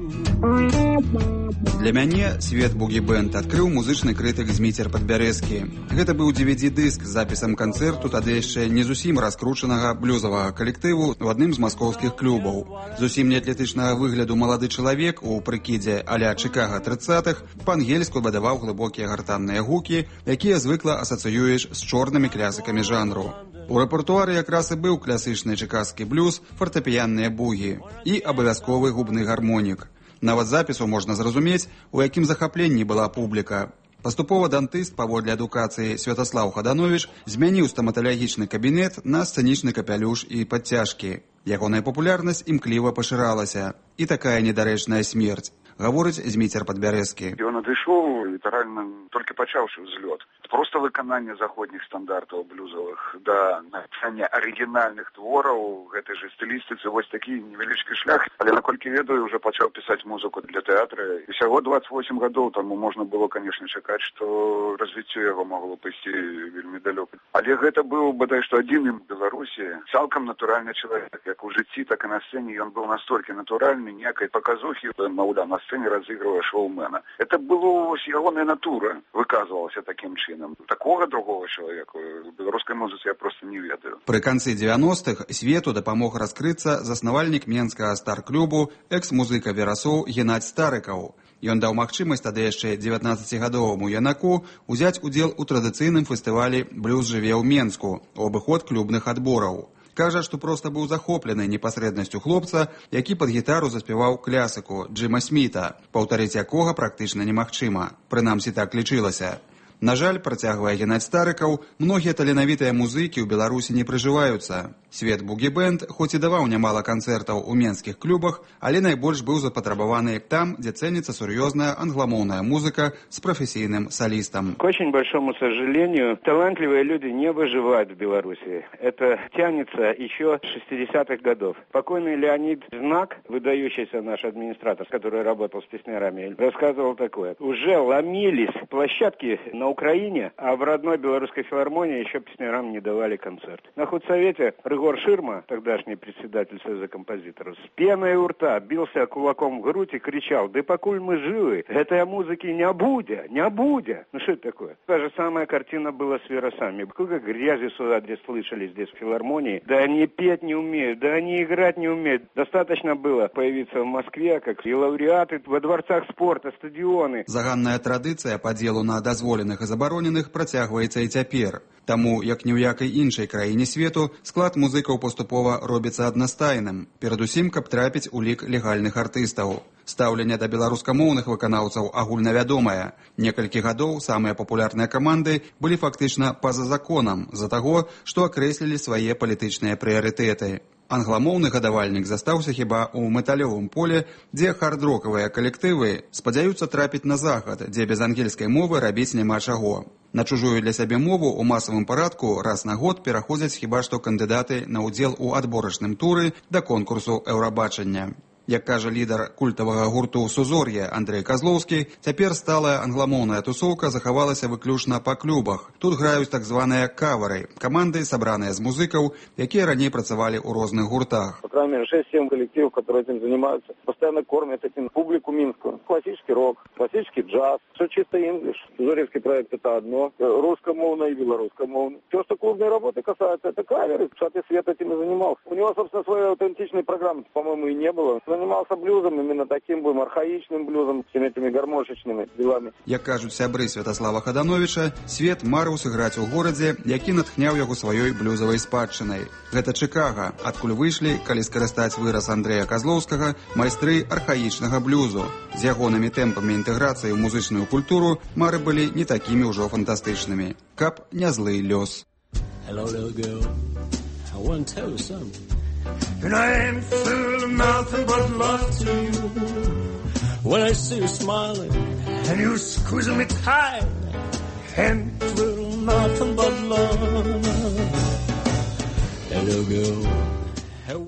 Speaker 12: Для мяне свет бугі-бэнд адкрыў музычны крытык Зміцер Падбярэзкі. Гэта быў ди ви ди-дыск з запісам канцэрту тады яшчэ не зусім раскручанага блюзавага калектыву ў адным з маскоўскіх клубаў. Зусім не атлетычнага выгляду малады чалавек у прыкідзе а-ля Чыкага трыццатых па-ангельску бадаваў глыбокія гартанныя гукі, якія звыкла асацыюеш з чорнымі клясыкамі жанру. У рэпертуары якраз і быў класычны чыкаскі блюз, фартэпіянныя бугі і абавязковы губны гармонік. Нават запісу можна зразумець, у якім захапленні была публіка. Паступова дантыст, паводле адукацыі Святаслаў Хадановіч, змяніў стаматалагічны кабінет на сцэнічны капялюш і падцяжкі. Ягоная папулярнасць імкліва пашыралася. І такая недарэчная смерць, гаворыць Зміцер Падбярэзкі.
Speaker 13: Ён адышоў літаральна толькі пачаўшы ўзлёт. Просто выкананне заходніх стандартаў блюзавых да напісання арыгінальных твораў гэтай жа стылістыцы вось такі невялічкі шлях. Але наколькі ведаю, уже пачаў пісаць музыку для тэатра. І всяго дваццаць восем гадоў таму можна было, канешне, чакаць, што развіццё яго магло пайсці вельмі далёка. Але гэта быў бадай што адзіны в Беларусі цалкам натуральны чалавек. Як у жыцці, так і на сцэне ён быў настолькі натуральны, ніякай паказухі, маўляў, на сцэне разыгрывае шоумена. Это было вось ягоная натура выказвалася такім чынам. Такого другого чалавека в беларускай музыцы я просто не ведаю.
Speaker 12: Пры канцы дзевяностых свету дапамог раскрыцца заснавальнік менскага стар-клубу, экс-музыка верасоў Геннадзь Старыкаў. Ён даў магчымасць тады яшчэ дзевятнаццацігадоваму юнаку узяць удзел у традыцыйным фестывалі «Блюз жыве ў Менску» у абыход клубных адбораў. Кажа, што проста быў захоплены непасрэднасцю хлопца, які пад гітару заспяваў клясыку Джима Сміта, паўтарыць якога практычна немагчыма. Прынамсі так лічылася. На жаль, працягвае Геннадзь Старыкаў, многія таленавітыя музыкі ў Беларусі не прыжываюцца. Свет бугі-бэнд хоць і даваў нямала канцэртаў у менскіх клубах, але найбольш быў запатрабаваны там, дзе цэніцца сур'ёзная англамоўная музыка с профессийным солистом.
Speaker 24: К очень большому сожалению, талантливые люди не выживают в Беларуси. Это тянется еще с шестидесятых годов. Покойный Леонид Знак, выдающийся наш администратор, который работал с песнярами, рассказывал такое. Уже ломились площадки на Украине, а в родной белорусской филармонии еще песнярам не давали концерт. На худсовете Рыгор Ширма, тогдашний председатель Союза композиторов, с пеной у рта бился кулаком в грудь и кричал: «Да покуль мы живы, этой музыки не будет, не будет». Ну что это такое? Та же самая картина была с веросами. Сколько грязи в свой адрес слышали здесь в филармонии. Да они петь не умеют, да они играть не умеют. Достаточно было появиться в Москве, как и лауреаты во дворцах спорта, стадионы.
Speaker 12: Заганная традыцыя падзелу на дазволеных і забароненых працягваецца і цяпер. Таму, як ні ў якай іншай краіне свету, склад музыкаў паступова робіцца аднастайным, перадусім, каб трапіць у лік легальных артыстаў. Стаўленне да беларускамоўных выканаўцаў агульнавядомае. Некалькі гадоў самыя папулярныя каманды былі фактычна па-за законам з-за таго, што акрэслілі свае палітычныя прыярытэты. Англамоўны гадавальнік застаўся хіба ў металёвым поле, дзе хард-рокавыя калектывы спадзяюцца трапіць на захад, дзе без ангельскай мовы рабіць няма чаго. На чужую для сябе мову ў масавым парадку раз на год пераходзяць хіба што кандыдаты на ўдзел у адборачным туры да конкурсу Еўрабачання. Як кажа лідар культавага гурту «Сузор'е» Андрэй Казлоўскі, цяпер сталая англамоўная тусоўка захавалася выключна па клубах. Тут граюць так званыя кавары, каманды, сабраныя з музыкаў, якія раней працавалі ў розных гуртах.
Speaker 14: По крайней мере, шесть-семь коллективов, которые этим занимаются, постоянно кормят этим публику минскую. Классический рок, классический джаз, все чисто инглиш. Зоревский проект — это одно, русскомовное и белорусскомовное. Все, что клубной работы касается, это каверы. Шаты Свет этим и занимался. У него, собственно, своей аутентичной программы, по-моему, и не было. занимался блюзом, именно таким будем архаичным блюзом, всеми этими гармошечными делами.
Speaker 12: Як кажуць сябры Святаслава Хадановича, Свет марыў сыграць у горадзе, які натхняў яго сваёй блюзавай спадчынай. Гэта Чикаго, адкуль выйшлі, калі скарыстаць выраз Андрэя Казлоўскага, майстры архаічнага блюзу. З ягонымі тэмпамі інтэграцыі ў музычную культуру мары былі не такімі ўжо фантастычнымі. Каб не злы лёс.
Speaker 11: Hello, little girl. I want to tell you something. And I ain't feeling nothing but love to you. When I see you smiling and you squeezing me tight, ain't feeling nothing but love. Hello, girl.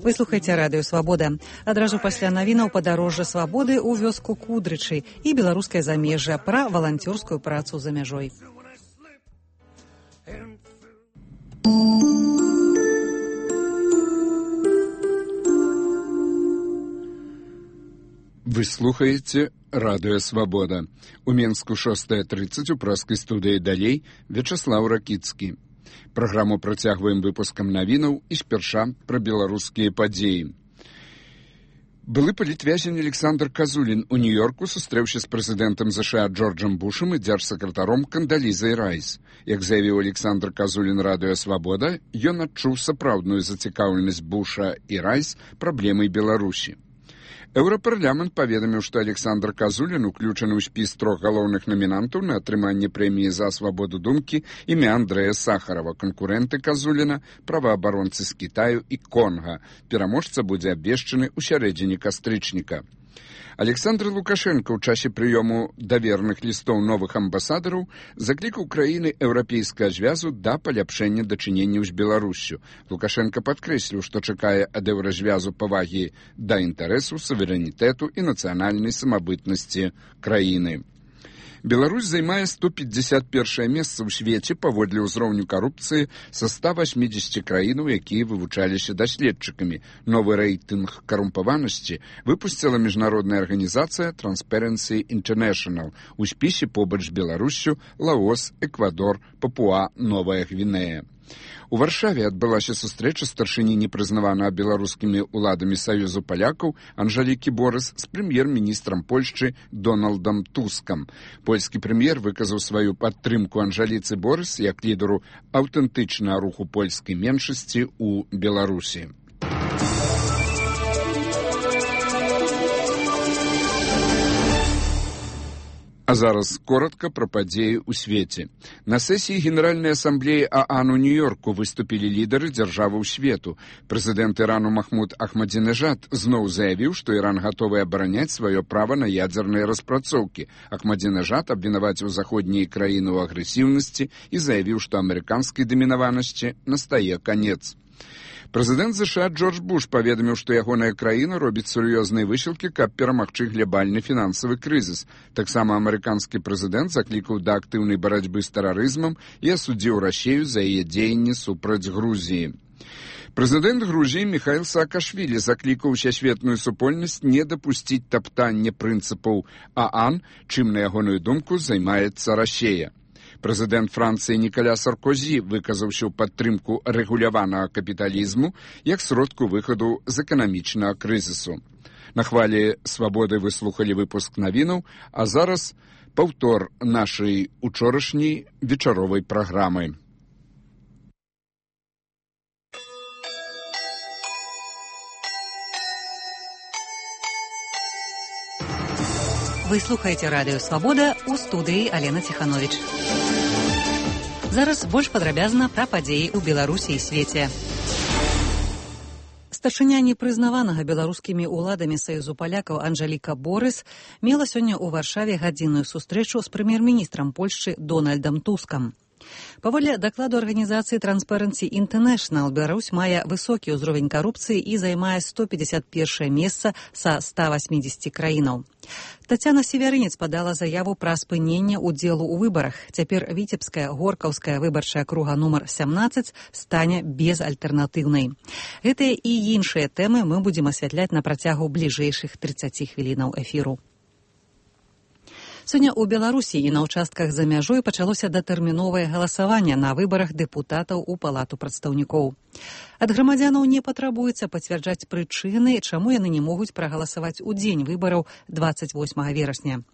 Speaker 2: Вы слухаеце радыё «Свабода». Адразу пасля навінаў падарожжа свабоды ў вёску Кудрычы і беларускае замежжа пра валанцёрскую працу за мяжой.
Speaker 8: Вы слухаеце радыё «Свабода». У Менску шостая тридцать у праскай студыі далей Вячаслаў Ракіцкі. Праграму працягваем выпускам навінаў і спярша пра беларускія падзеі. Былы палітвязень Александр Казулін у Нью-Йорку сустрэўся з прэзідэнтам ЗША Джорджам Бушам і дзяржсакратаром Кандалізай Райс. Як заявіў Александр Казулін радыё «Свабода», ён адчуў сапраўдную зацікаўленасць Буша і Райс праблемай Беларусі. Еўрапарламент паведаміў, што Александр Казулін уключаны ў спіс трох галоўных намінантаў на атрыманне прэміі за свабоду думкі імя Андрэя Сахарова, канкурэнты Казуліна, праваабаронцы з Кітаю і Конга. Пераможца будзе абвешчаны ў сярэдзіне кастрычніка. Александр Лукашенко ў часе прыёму даверных лістоў новых амбасадараў заклікаў краіны еўрапейскага звязу да паляпшэння дачыненняў з Беларуссю. Лукашенко падкрэсліў, што чакае ад еўразвязу павагі да інтарэсу, суверэнітэту і нацыянальнай самабытнасці краіны. Беларусь займае сто пятьдесят першае месца ў свеце паводле ўзроўню карупцыі са ста восьмидесяти краінаў, якія вывучаліся даследчыкамі. Новы рэйтынг карумпаванасці выпусціла міжнародная арганізацыя Transparency International. У спісе побач з Беларуссю Лаос, Эквадор, Папуа, Новая Гвінея. У Варшаве адбылася сустрэча старшыні непрызнаванага беларускімі ўладамі Саюзу палякаў Анжалікі Борыс з прэм'ер-міністрам Польшчы Дональдам Тускам. Польскі прэм'ер выказаў сваю падтрымку Анжаліцы Борыс як лідару аўтэнтычнага руху польскай меншасці ў Беларусі. А зараз коротко пра падзеі ў свеце. На сесіі Генеральнай асамблеі ААН у Нью-Йорку выступілі лідары дзяржаваў свету. Прэзідэнт Ірану Махмуд Ахмадзінежад зноў заявіў, што Іран гатовы абараняць сваё права на ядзерныя распрацоўкі. Ахмадзінежад абвінаваціў заходнія краіны ў агрэсіўнасці і заявіў, што амерыканскай дамінаванасці настае канец. Прэзідэнт ЗША Джордж Буш паведаміў, што ягоная краіна робіць сур'ёзныя высілкі, каб перамагчы глябальны фінансавы крызіс. Таксама амерыканскі прэзідэнт заклікаў да актыўнай барацьбы з тэрарызмам і асудзіў Расію за яе дзеянні супраць Грузіі. Прэзідэнт Грузіі Міхаіл Саакашвілі заклікаў усесветную супольнасць не дапусціць таптання прынцыпаў ААН, чым, на ягоную думку, займаецца Расія. Прэзідэнт Францыі Ніколя Саркозі выказаўся ў падтрымку рэгуляванага капіталізму як сродку выхаду з эканамічнага крызісу. На хвалі свабоды вы слухалі выпуск навінаў, а зараз паўтор нашай учорашняй вечаровай праграмы.
Speaker 2: Вы слухаеце радыё «Свабода», у студыі Алена Ціхановіч. Зараз больш падрабязна пра падзеі ў Беларусі і свеце. Старшыня непрызнаванага беларускімі ўладамі Саюзу палякаў Анжаліка Борыс мела сёння ў Варшаве гадзінную сустрэчу з прэм'ер-міністрам Польшчы Дональдам Тускам. Паводле дакладу арганізацыі Transparency International, Беларусь мае высокі ўзровень карупцыі і займае сто пятьдесят первое месца са ста восьмидесяти краінаў. Тацяна Севярынец падала заяву пра спыненне ўдзелу ў выбарах. Цяпер віцебская горкаўская выбарчая акруга нумар сямнаццаць стане безальтэрнатыўнай. Гэтыя і іншыя тэмы мы будзем асвятляць на працягу бліжэйшых тридцати хвілінаў эфіру. Сёння ў Беларусі і на ўчастках за мяжой пачалося датэрміновае галасаванне на выбарах дэпутатаў у палату прадстаўнікоў. Ад грамадзянаў не патрабуецца пацвярджаць прычыны, чаму яны не могуць прагаласаваць у дзень выбараў дваццаць восьмага верасня.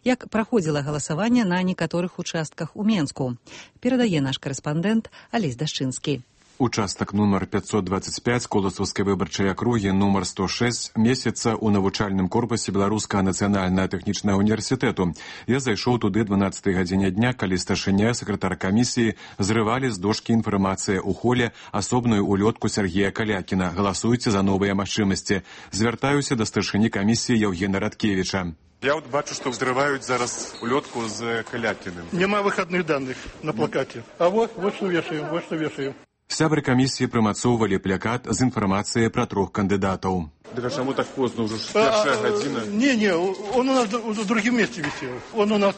Speaker 2: Як праходзіла галасаванне на некаторых участках у Менску, перадае наш карэспандэнт Алесь Дашчынскі.
Speaker 4: Участак нумар пятьсот двадцать пять Коласаўскай выбарчай акругі нумар сто шесть месяца ў навучальным корпусе Беларускага нацыянальнага тэхнічнага універсітэту. Я зайшоў туды дванаццатай гадзіне дня, калі старшыня сакратар камісіі зрывалі з дошкі інфармацыя ў холе асобную улётку Сергея Калякіна. Галасуйце за новыя магчымасці. Звяртаюся да старшыні камісіі Яўгена Радкевіча.
Speaker 15: Я вот бачу, что взрывают зараз улетку с Калякиным.
Speaker 16: Нема выходных данных на плакате. А вот, вот что вешаем, вот что вешаем.
Speaker 4: Сябры камісіі прымацоўвалі плакат з інфармацыяй пра трох кандыдатаў.
Speaker 15: Так а чаму так поздно, уже першая гадзіна?
Speaker 16: Не-не, он у нас в другом месте висел. Он у нас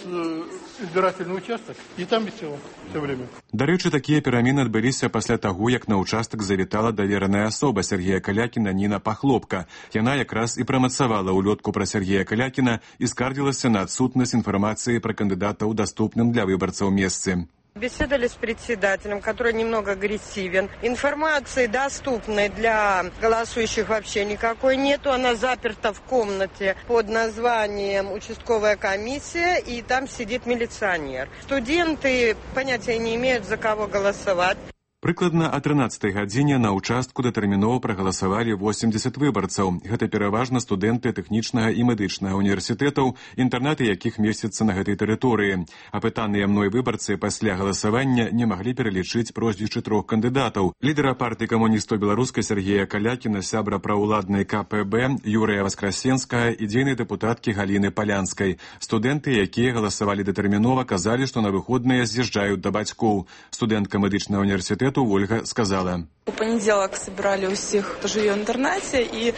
Speaker 16: избирательный участок, и там висел все время.
Speaker 4: Дарэчы, такія перамены адбыліся пасля таго, як на ўчастак завітала давераная асоба Сергея Калякіна Ніна Пахлопка. Яна якраз і прамацавала улётку пра Сергея Калякіна і скардзілася на адсутнасць інфармацыі пра кандыдата ў даступным для выбарцаў месцы.
Speaker 17: Беседовали с председателем, который немного агрессивен. Информации доступной для голосующих вообще никакой нету. Она заперта в комнате под названием «Участковая комиссия», и там сидит милиционер. Студенты понятия не имеют, за кого голосовать.
Speaker 4: Прыкладна о трынаццатай гадзіне на ўчастку датэрмінова прагаласавалі восемьдесят выбарцаў. Гэта пераважна студэнты тэхнічнага і медычнага універсітэтаў, інтэрнаты якіх месяцца на гэтай тэрыторыі. Апытаныя мной выбарцы пасля галасавання не маглі пералічыць прозвішчы трох кандыдатаў. Лідара партыі камуністаў беларускай Сергея Калякіна, сябра праўладнай ка пэ бэ Юрыя Васкрасенскага і дзейнай дэпутаткі Галіны Палянскай. Студэнты, якія галасавалі датэрмінова, казалі, што на выходныя з'язджаюць да бацькоў. Студэнтка медычнага універсітэта Ольга сказала.
Speaker 18: У понеділок собирали усіх, хто живе в інтернаті, і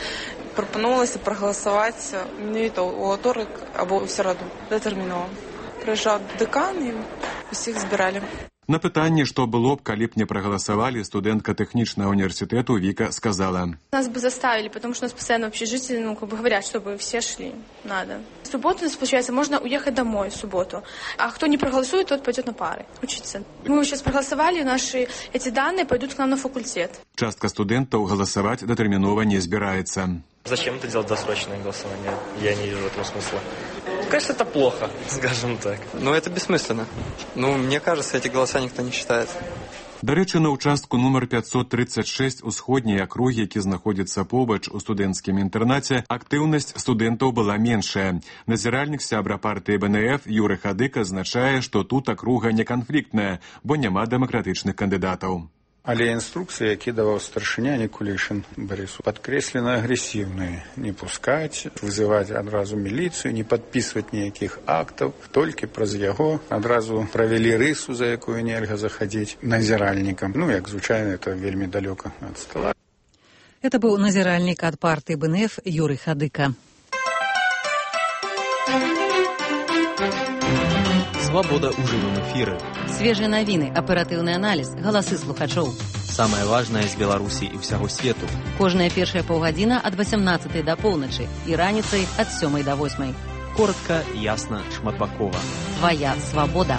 Speaker 18: пропонувалося проголосувати менавіта у аўторак або ў сераду датэрмінова. Прыязджаў дэкан і усіх збіралі.
Speaker 4: На пытанне, што было б, калі б не прагаласавалі, студэнтка тэхнічнага універсітэту Віка сказала.
Speaker 19: Нас бы заставили, потому что у нас постоянно общежитие, ну, как бы говорят, чтобы все шли. Надо. В субботу, получается, можно уехать домой в субботу. А кто не проголосует, тот пойдет на пары учиться. Мы сейчас проголосовали, наши эти данные пойдут к нам на факультет.
Speaker 4: Частка студэнтаў галасаваць датэрмінова не збіраецца.
Speaker 20: Зачем это делать досрочное голосование? Я не вижу этого смысла. Конечно, это плохо, скажем так.
Speaker 28: Но это бессмысленно. Ну, мне кажется, эти голоса никто не считает.
Speaker 4: Дарэчы, на ўчастку нумар пятьсот тридцать шесть усходняй акругі, які знаходзіцца побач у студэнцкім інтэрнаце, актыўнасць студэнтаў была меншая. Назіральнік сябра партыі бэ эн эф Юры Хадыка азначае, што тут акруга не канфліктная, бо няма дэмакратычных кандыдатаў.
Speaker 29: Але інструкцыі, які даваў старшыня Никулишин Борису, падкрэслена агрэсіўныя. Не пускаць, вызываць адразу міліцыю, не падпісваць ніякіх актаў, толькі праз яго адразу правялі рысу, за якую нельга захадзіць назіральнікам. Ну, як звычайна, это вельмі далёка ад стола.
Speaker 2: Это быў назіральнік ад партыі бэ эн эф Юры Хадыка.
Speaker 27: Свабода ў жывым эфіры.
Speaker 26: Свежыя навіны, аператыўны аналіз, галасы слухачоў.
Speaker 27: Самае важнае з Беларусі і ўсяго свету.
Speaker 26: Кожная першая паўгадзіна ад васямнаццатай да поўначы і раніцай ад сёмай да восьмай.
Speaker 27: Коротка, ясна, шматбакова.
Speaker 26: Твая свабода.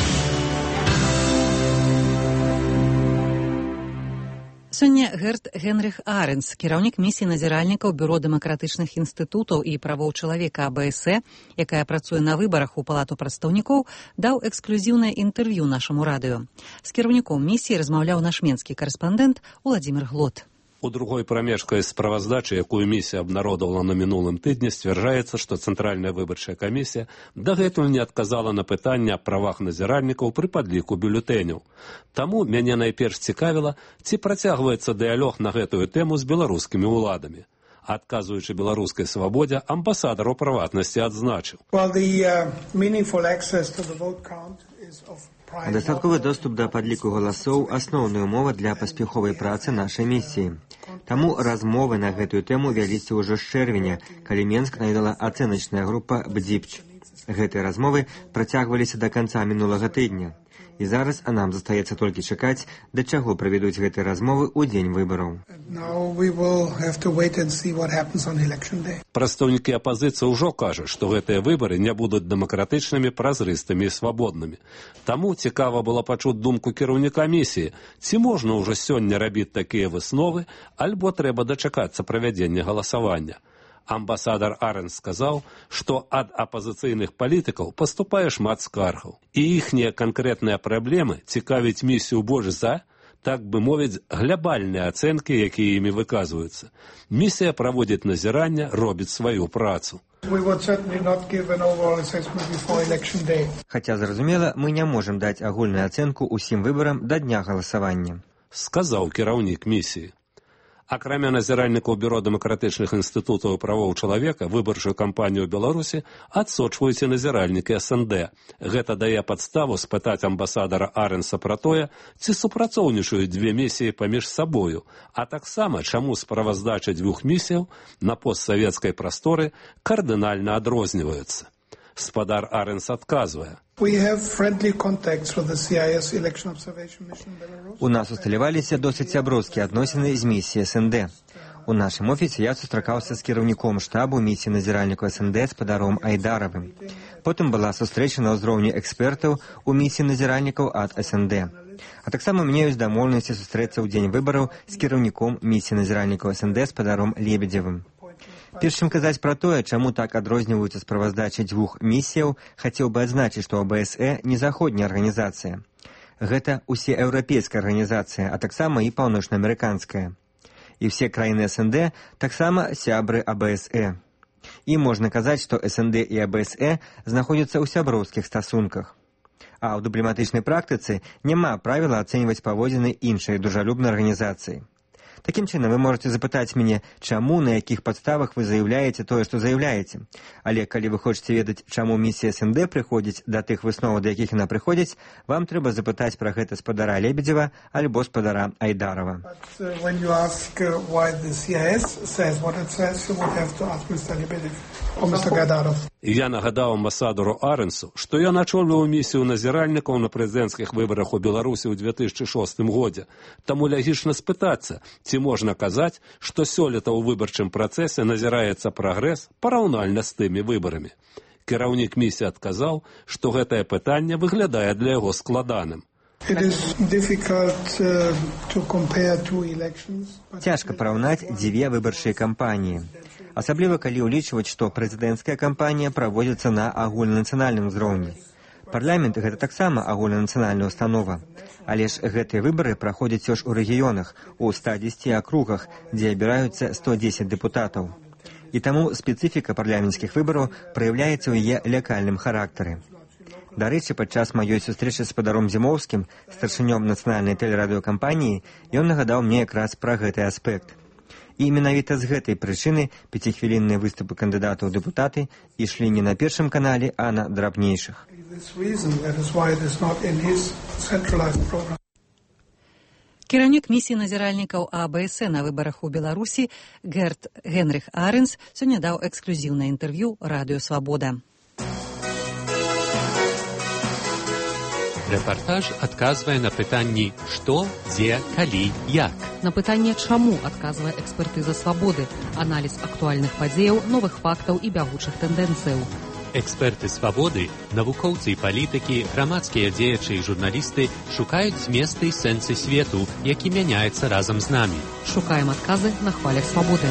Speaker 2: Сёння Герт Генрих Аренс, кіраўнік місіі назіральнікаў Бюро дэмакратычных інстытутаў і правоў чалавека а бэ эс э, якая працуе на выбарах у палату прадстаўнікоў, даў эксклюзіўнае інтэрв'ю нашаму радыё. З кіраўніком місіі размаўляў наш менскі карэспандэнт Уладзімір Глот.
Speaker 21: У другой прамежкай справаздачы, якую місія абнародавала на мінулым тыдні, сцвярджаецца, што Цэнтральная выбарчая камісія дагэтуль не адказала на пытанне аб правах назіральнікаў пры падліку бюлетэняў. Таму мяне найперш цікавіла, ці працягваецца дыялог на гэтую тэму з беларускімі ўладамі. Адказуючы беларускай свабодзе, амбасадар у прыватнасці адзначыў.
Speaker 30: Well, the, uh, meaningful access to the vote count is of
Speaker 22: Дастатковы доступ да падліку галасоў – асноўная ўмова для паспяховай працы нашай місіі. Таму размовы на гэтую тэму вяліся ўжо з чэрвеня, калі Менск наведала ацэначная група «Бдзіпч». Гэтыя размовы працягваліся да канца мінулага тыдня. І зараз нам застаецца толькі чакаць, да чаго правядуць гэтыя размовы ў дзень выбараў.
Speaker 21: Прадстаўнікі апазіцыі ўжо кажуць, што гэтыя выбары не будуць дэмакратычнымі, празрыстымі і свабоднымі. Таму цікава было пачуць думку кіраўніка місіі, ці можна ўжо сёння рабіць такія высновы, альбо трэба дачакацца правядзення галасавання. Амбасадар Аренс сказаў, што ад апазіцыйных палітыкаў паступае шмат скаргаў. І іхнія канкрэтныя праблемы цікавіць місію больш за, так бы мовіць, глябальныя ацэнкі, якія імі выказваюцца. Місія праводзіць назіранне, робіць сваю працу.
Speaker 22: Хаця, зразумела, мы не можам даць агульную ацэнку ўсім выбарам да дня галасавання,
Speaker 21: сказаў кіраўнік місіі. Акрамя назіральнікаў Бюро дэмакратычных інстытутаў і правоў чалавека, выбарчую кампанію ў Беларусі адсочваюць і назіральнікі эс эн дэ. Гэта дае падставу спытаць амбасадара Аренса пра тое, ці супрацоўнічаюць дзве місіі паміж сабою, а таксама чаму справаздачы дзвюх місіяў на постсавецкай прасторы кардынальна адрозніваюцца. Спадар Аренс адказвае.
Speaker 22: У нас усталяваліся досыць сяброўскія адносіны з місіяй эс эн дэ. У нашым офісе я сустракаўся з кіраўніком штабу місіі назіральніку эс эн дэ спадаром Айдаравым. Потым была сустрэча на ўзроўні экспертаў у місіі назіральнікаў ад эс эн дэ. А таксама у мяне ёсць дамоўленасці сустрэцца ў дзень выбараў з кіраўніком місіі назіральнікаў эс эн дэ спадаром Лебедзевым. Перш чым казаць пра тое, чаму так адрозніваюцца справаздачы дзвюх місіяў, хацеў бы адзначыць, што а бэ эс э не заходняя арганізацыя. Гэта усееўрапейская арганізацыя, а таксама і паўночнаамерыканская. І ўсе краіны эс эн дэ таксама сябры а бэ эс э. І можна казаць, што эс эн дэ і а бэ эс э знаходзяцца ў сяброўскіх стасунках. А ў дыпламатычнай практыцы няма правіла ацэньваць паводзіны іншай дружалюбнай арганізацыі. Такім чынам, вы можете запытаць мяне, чаму, на якіх падставах вы заяўляеце тое, што заяўляеце. Але калі вы хочаце ведаць, чаму місія эс эн дэ прыходзіць да тых высноваў, да якіх яна прыходзіць, вам трэба запытаць пра гэта спадара Лебедзева альбо спадара Айдарова.
Speaker 21: Я нагадаў амбасадару Аренсу, што я начоліваў місію назіральнікаў на прэзідэнцкіх выбарах у Беларусі ў две тысячы шостым годзе. Таму лягічна спытацца, ці можна казаць, што сёлета ў выбарчым працэсе назіраецца прагрэс параўнальна з тымі выбарамі. Кіраўнік місіі адказаў, што гэтае пытанне выглядае для яго складаным.
Speaker 22: Цяжка параўнаць дзве выбарчыя кампаніі. Асабліва, калі ўлічваць, што прэзідэнцкая кампанія праводзіцца на агульнанацыянальным узроўні. Парламент – гэта таксама агульнанацыянальная установа. Але ж гэтыя выбары праходзяць ж у рэгіёнах, у ста дзесяці акругах, дзе абіраюцца сто дзесяць дэпутатаў. І таму спецыфіка парламенцкіх выбараў праяўляецца ў яе лакальным характары. Дарэчы, падчас маёй сустрэчы з спадаром Зімоўскім, старшынём нацыянальнай тэлерадыёкампаніі, ён нагадаў мне якраз пра гэты аспект. І менавіта з гэтай прычыны пяцихвілінныя выступы кандыдатаў у дэпутаты ішлі не на першым канале, а на драбнейшых.
Speaker 2: Кіраўнік місіі назіральнікаў а бэ эс э на выбарах у Беларусі Герт Генрих Аренс сёння даў эксклюзіўнае інтэрв'ю радыё «Свабода».
Speaker 1: Рэпартаж адказвае на пытанні «Што?», «Дзе?», «Калі?», «Як?».
Speaker 26: На пытанне «Чаму?», адказвае экспертыза «Свабоды», аналіз актуальных падзеяў, новых фактаў і бягучых тэндэнцыяў.
Speaker 1: Эксперты «Свабоды», навукоўцы і палітыкі, грамадскія дзеячы і журналісты шукаюць зместы і сэнсы свету, які мяняецца разам з намі.
Speaker 26: Шукаем адказы на хвалях «Свабоды».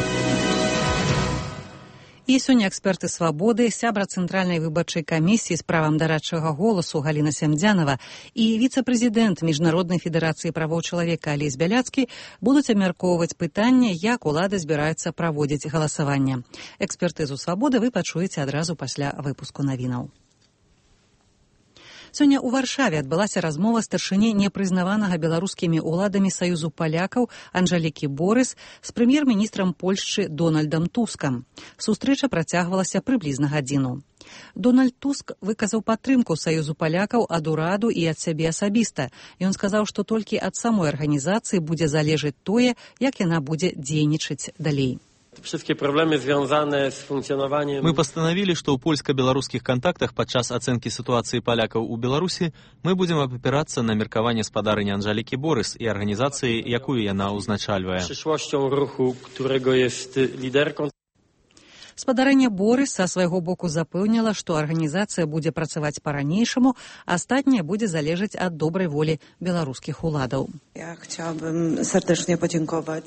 Speaker 2: І сёння эксперты «Свабоды», сябра Цэнтральнай выбарчай камісіі з правам дарадчага голасу Галіна Сямдзянава і віцэ-прэзідэнт Міжнароднай федэрацыі правоў чалавека Алесь Бяляцкі будуць абмяркоўваць пытанне, як улады збіраюцца праводзіць галасаванне. Экспертызу «Свабоды» вы пачуеце адразу пасля выпуску навінаў. Сёння ў Варшаве адбылася размова старшыні непрызнаванага беларускімі ўладамі Саюзу палякаў Анжалікі Борыс з прэм'ер-міністрам Польшчы Дональдам Тускам. Сустрэча працягвалася прыблізна гадзіну. Дональд Туск выказаў падтрымку Саюзу палякаў ад ураду і ад сябе асабіста. Ён сказаў, што толькі ад самой арганізацыі будзе залежаць тое, як яна будзе дзейнічаць далей.
Speaker 11: wszystkie problemy związane z funkcjonowaniem...
Speaker 27: Мы постановили, что ў польска-беларускіх кантактах падчас ацэнкі сітуацыі палякаў у Беларусі мы будзем абапірацца на меркаванне спадарыні Анжалікі Борыс і арганізацыі, якую яна ўзначальвае.
Speaker 11: Przyszłością ruchu, którego jest liderką.
Speaker 2: Спадарэнне Борыс са свайго боку запэўніла, што арганізацыя будзе працаваць па-ранейшаму, астатняе будзе залежаць ад добрай волі беларускіх уладаў.
Speaker 3: Ja chciałabym serdecznie podziękować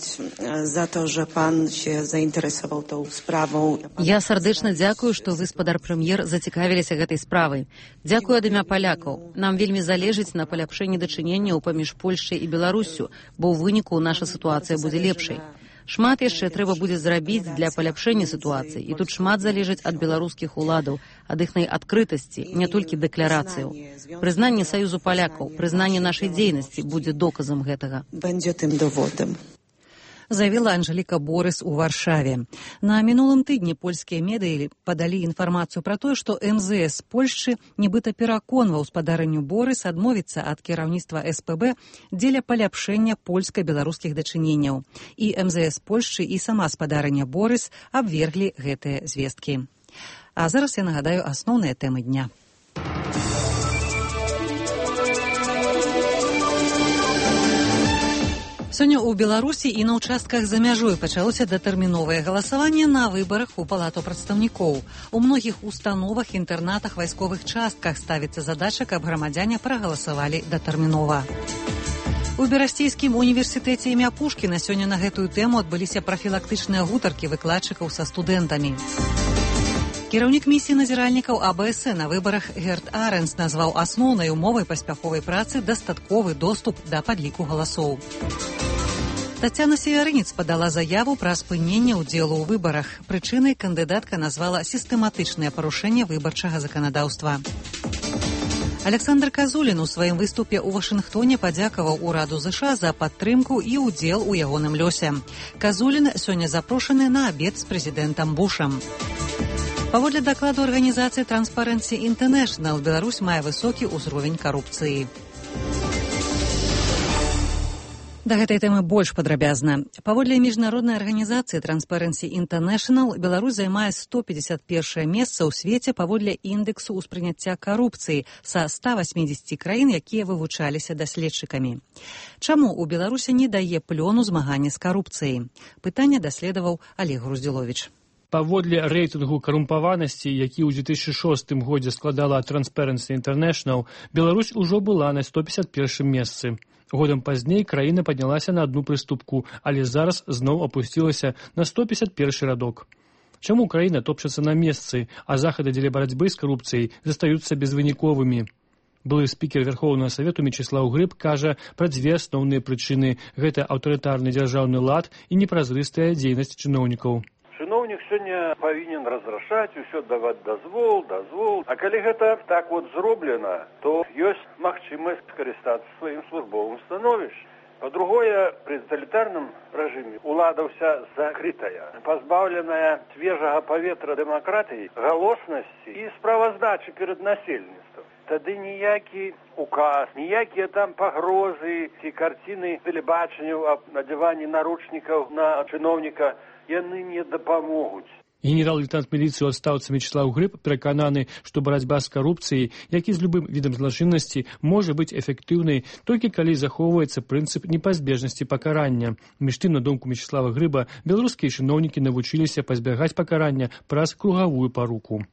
Speaker 3: za to, że pan się zainteresował tą sprawą.
Speaker 26: Я сардэчна дзякую, што вы, спадар прэм'ер, зацікавіліся гэтай справай. Дзякую ад імя палякаў. Нам вельмі залежыць на паляпшэнні дачыненняў паміж Польшчай і Беларуссю, бо ў выніку наша сітуацыя будзе лепшай. Шмат яшчэ трэба будзе зрабіць для паляпшэння сітуацыі, і тут шмат залежыць ад беларускіх уладаў, ад іхнай адкрытасці, не толькі дэкларацыяў. Прызнанне Саюзу палякаў, прызнанне нашай дзейнасці будзе доказам гэтага.
Speaker 3: Будзе тым доводам.
Speaker 2: Заявила Анжеліка Борыс у Варшаве. На мінулым тыдні польскія медыі падалі інфармацыю пра тое, што эм зэ эс Польшчы нібыта пераконваў спадарыню Борыс адмовіцца ад кіраўніцтва эс пэ бэ дзеля паляпшэння польска-беларускіх дачыненняў. І эм зэ эс Польшчы і сама спадарыня Борыс абверглі гэтыя звесткі. А зараз я нагадаю асноўныя тэмы дня. Сёння ў Беларусі і на ўчастках за мяжой пачалося датэрміновае галасаванне на выбарах у палату прадстаўнікоў. У многіх установах, інтэрнатах, вайсковых частках ставіцца задача, каб грамадзяне прагаласавалі датэрмінова. У Берасцейскім універсітэце імя Пушкіна сёння на гэтую тэму адбыліся прафілактычныя гутаркі выкладчыкаў са студэнтамі. Кіраўнік місіі назіральнікаў а бэ эс э на выбарах Герт Аренс назваў асноўнай умовай паспяховай працы дастатковы доступ да падліку галасоў. Тацяна Северынец падала заяву пра спыненне ўдзелу ў выбарах. Прычынай кандыдатка назвала сістэматычнае парушэнне выбарчага заканадаўства. Александр Казулін у сваім выступе ў Вашынгтоне падзякаваў ураду ЗША за падтрымку і ўдзел у ягоным лёсе. Казулін сёння запрошаны на абед з прэзідэнтам Бушам. Паводле дакладу арганізацыі Transparency International, Беларусь мае высокі ўзровень карупцыі. Да гэтай тэмы больш падрабязна. Паводле міжнароднай арганізацыі Transparency International, Беларусь займае сто пятьдесят первое месца ў свеце паводле індэксу ўспрыняцця карупцыі са ста восьмидесяти краін, якія вывучаліся даследчыкамі. Чаму ў Беларусі не дае плёну змагання з карупцыяй? Пытанне даследаваў Олег Груздзіловіч.
Speaker 5: Паводле рэйтынгу карумпаванасці, які ў две тысячи шостым годзе складала Transparency International, Беларусь ужо была на сто пятьдесят первом месцы. Годам пазней краіна паднялася на адну прыступку, але зараз зноў апусцілася на сто пятьдесят первый радок. Чаму краіна топчацца на месцы, а захады дзеля барацьбы з карупцыяй застаюцца безвыніковымі? Былы спікер Верховнага Савету Мечыслаў Грыб кажа пра дзве асноўныя прычыны. Гэта аўтарытарны дзяржаўны лад і непразрыстая дзейнасць чыноўнікаў.
Speaker 6: Чыноўнік сёння павінен разрашаць, усё даваць дазвол, дазвол. А калі гэта так вот зроблена, то ёсць магчымасць скарыстацца сваім службовым становішчам. Па-другое, пры таталітарным рэжыме ўлада ўся закрытая, пазбаўленая свежага паветра дэмакратыі, галоснасці і справаздачы перад насельніцтвам. Тады ніякі указ, ніякія там пагрозы ці карціны тэлебачання аб надзяванні наручнікаў на чыноўніка яны не дапамогуць.
Speaker 5: Генерал-лейтенант міліцыі ў адстаўцы Мечыслаў Грыб перакананы, што барацьба з карупцыяй, як і з любым відам злачыннасці, можа быць эфектыўнай толькі калі захоўваецца прынцып непазбежнасці пакарання. Між тым, на думку Мечыслава Грыба, беларускія чыноўнікі навучыліся пазбягаць пакарання праз кругавую паруку.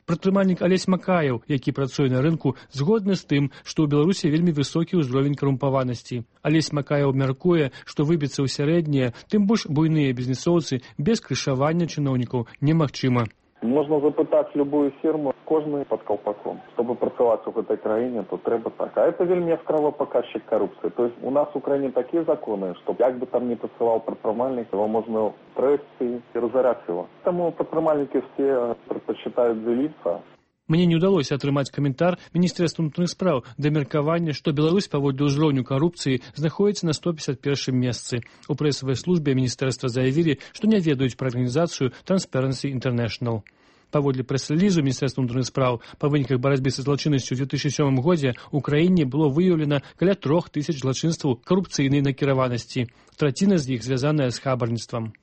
Speaker 5: Прадпрымальнік Алесь Макаеў, які працуе на рынку, згодны з тым, што ў Беларусі вельмі высокі ўзровень карумпаванасці. Алесь Макаеў мяркуе, што выбіцца ў сярэднія, тым больш буйныя бізнесоўцы без крышавання чыноўнікаў немагчыма.
Speaker 7: Можна запытаць любую фірму, кожны пад каўпаком. Чтобы працаваць у гэтай краіне, то трэба так. А это вельмі яскравы паказчык карупцыі. То есть у нас у краіне такія законы, што як бы там не працаваў прадпрымальнік, его можна трэсці і разараць его. Таму прадпрымальнікі все прадпачытаюць дзеліцца.
Speaker 5: Мне не ўдалося атрымаць каментар Міністэрства ўнутраных спраў да меркавання, што Беларусь паводле ўзроўню карупцыі знаходзіцца на сто пятьдесят первом месцы. У прэсавай службе міністэрства заявілі, што не ведаюць пра арганізацыю Transparency International. Паводле прэс-рэлізу Міністэрства ўнутраных спраў па выніках барацьбы са злачыннасцю ў две тысячи сёмым годзе ў краіне было выяўлена каля трох тысяч злачынстваў карупцыйнай накіраванасці. Траціна з іх звязаная з хабарніцтвам.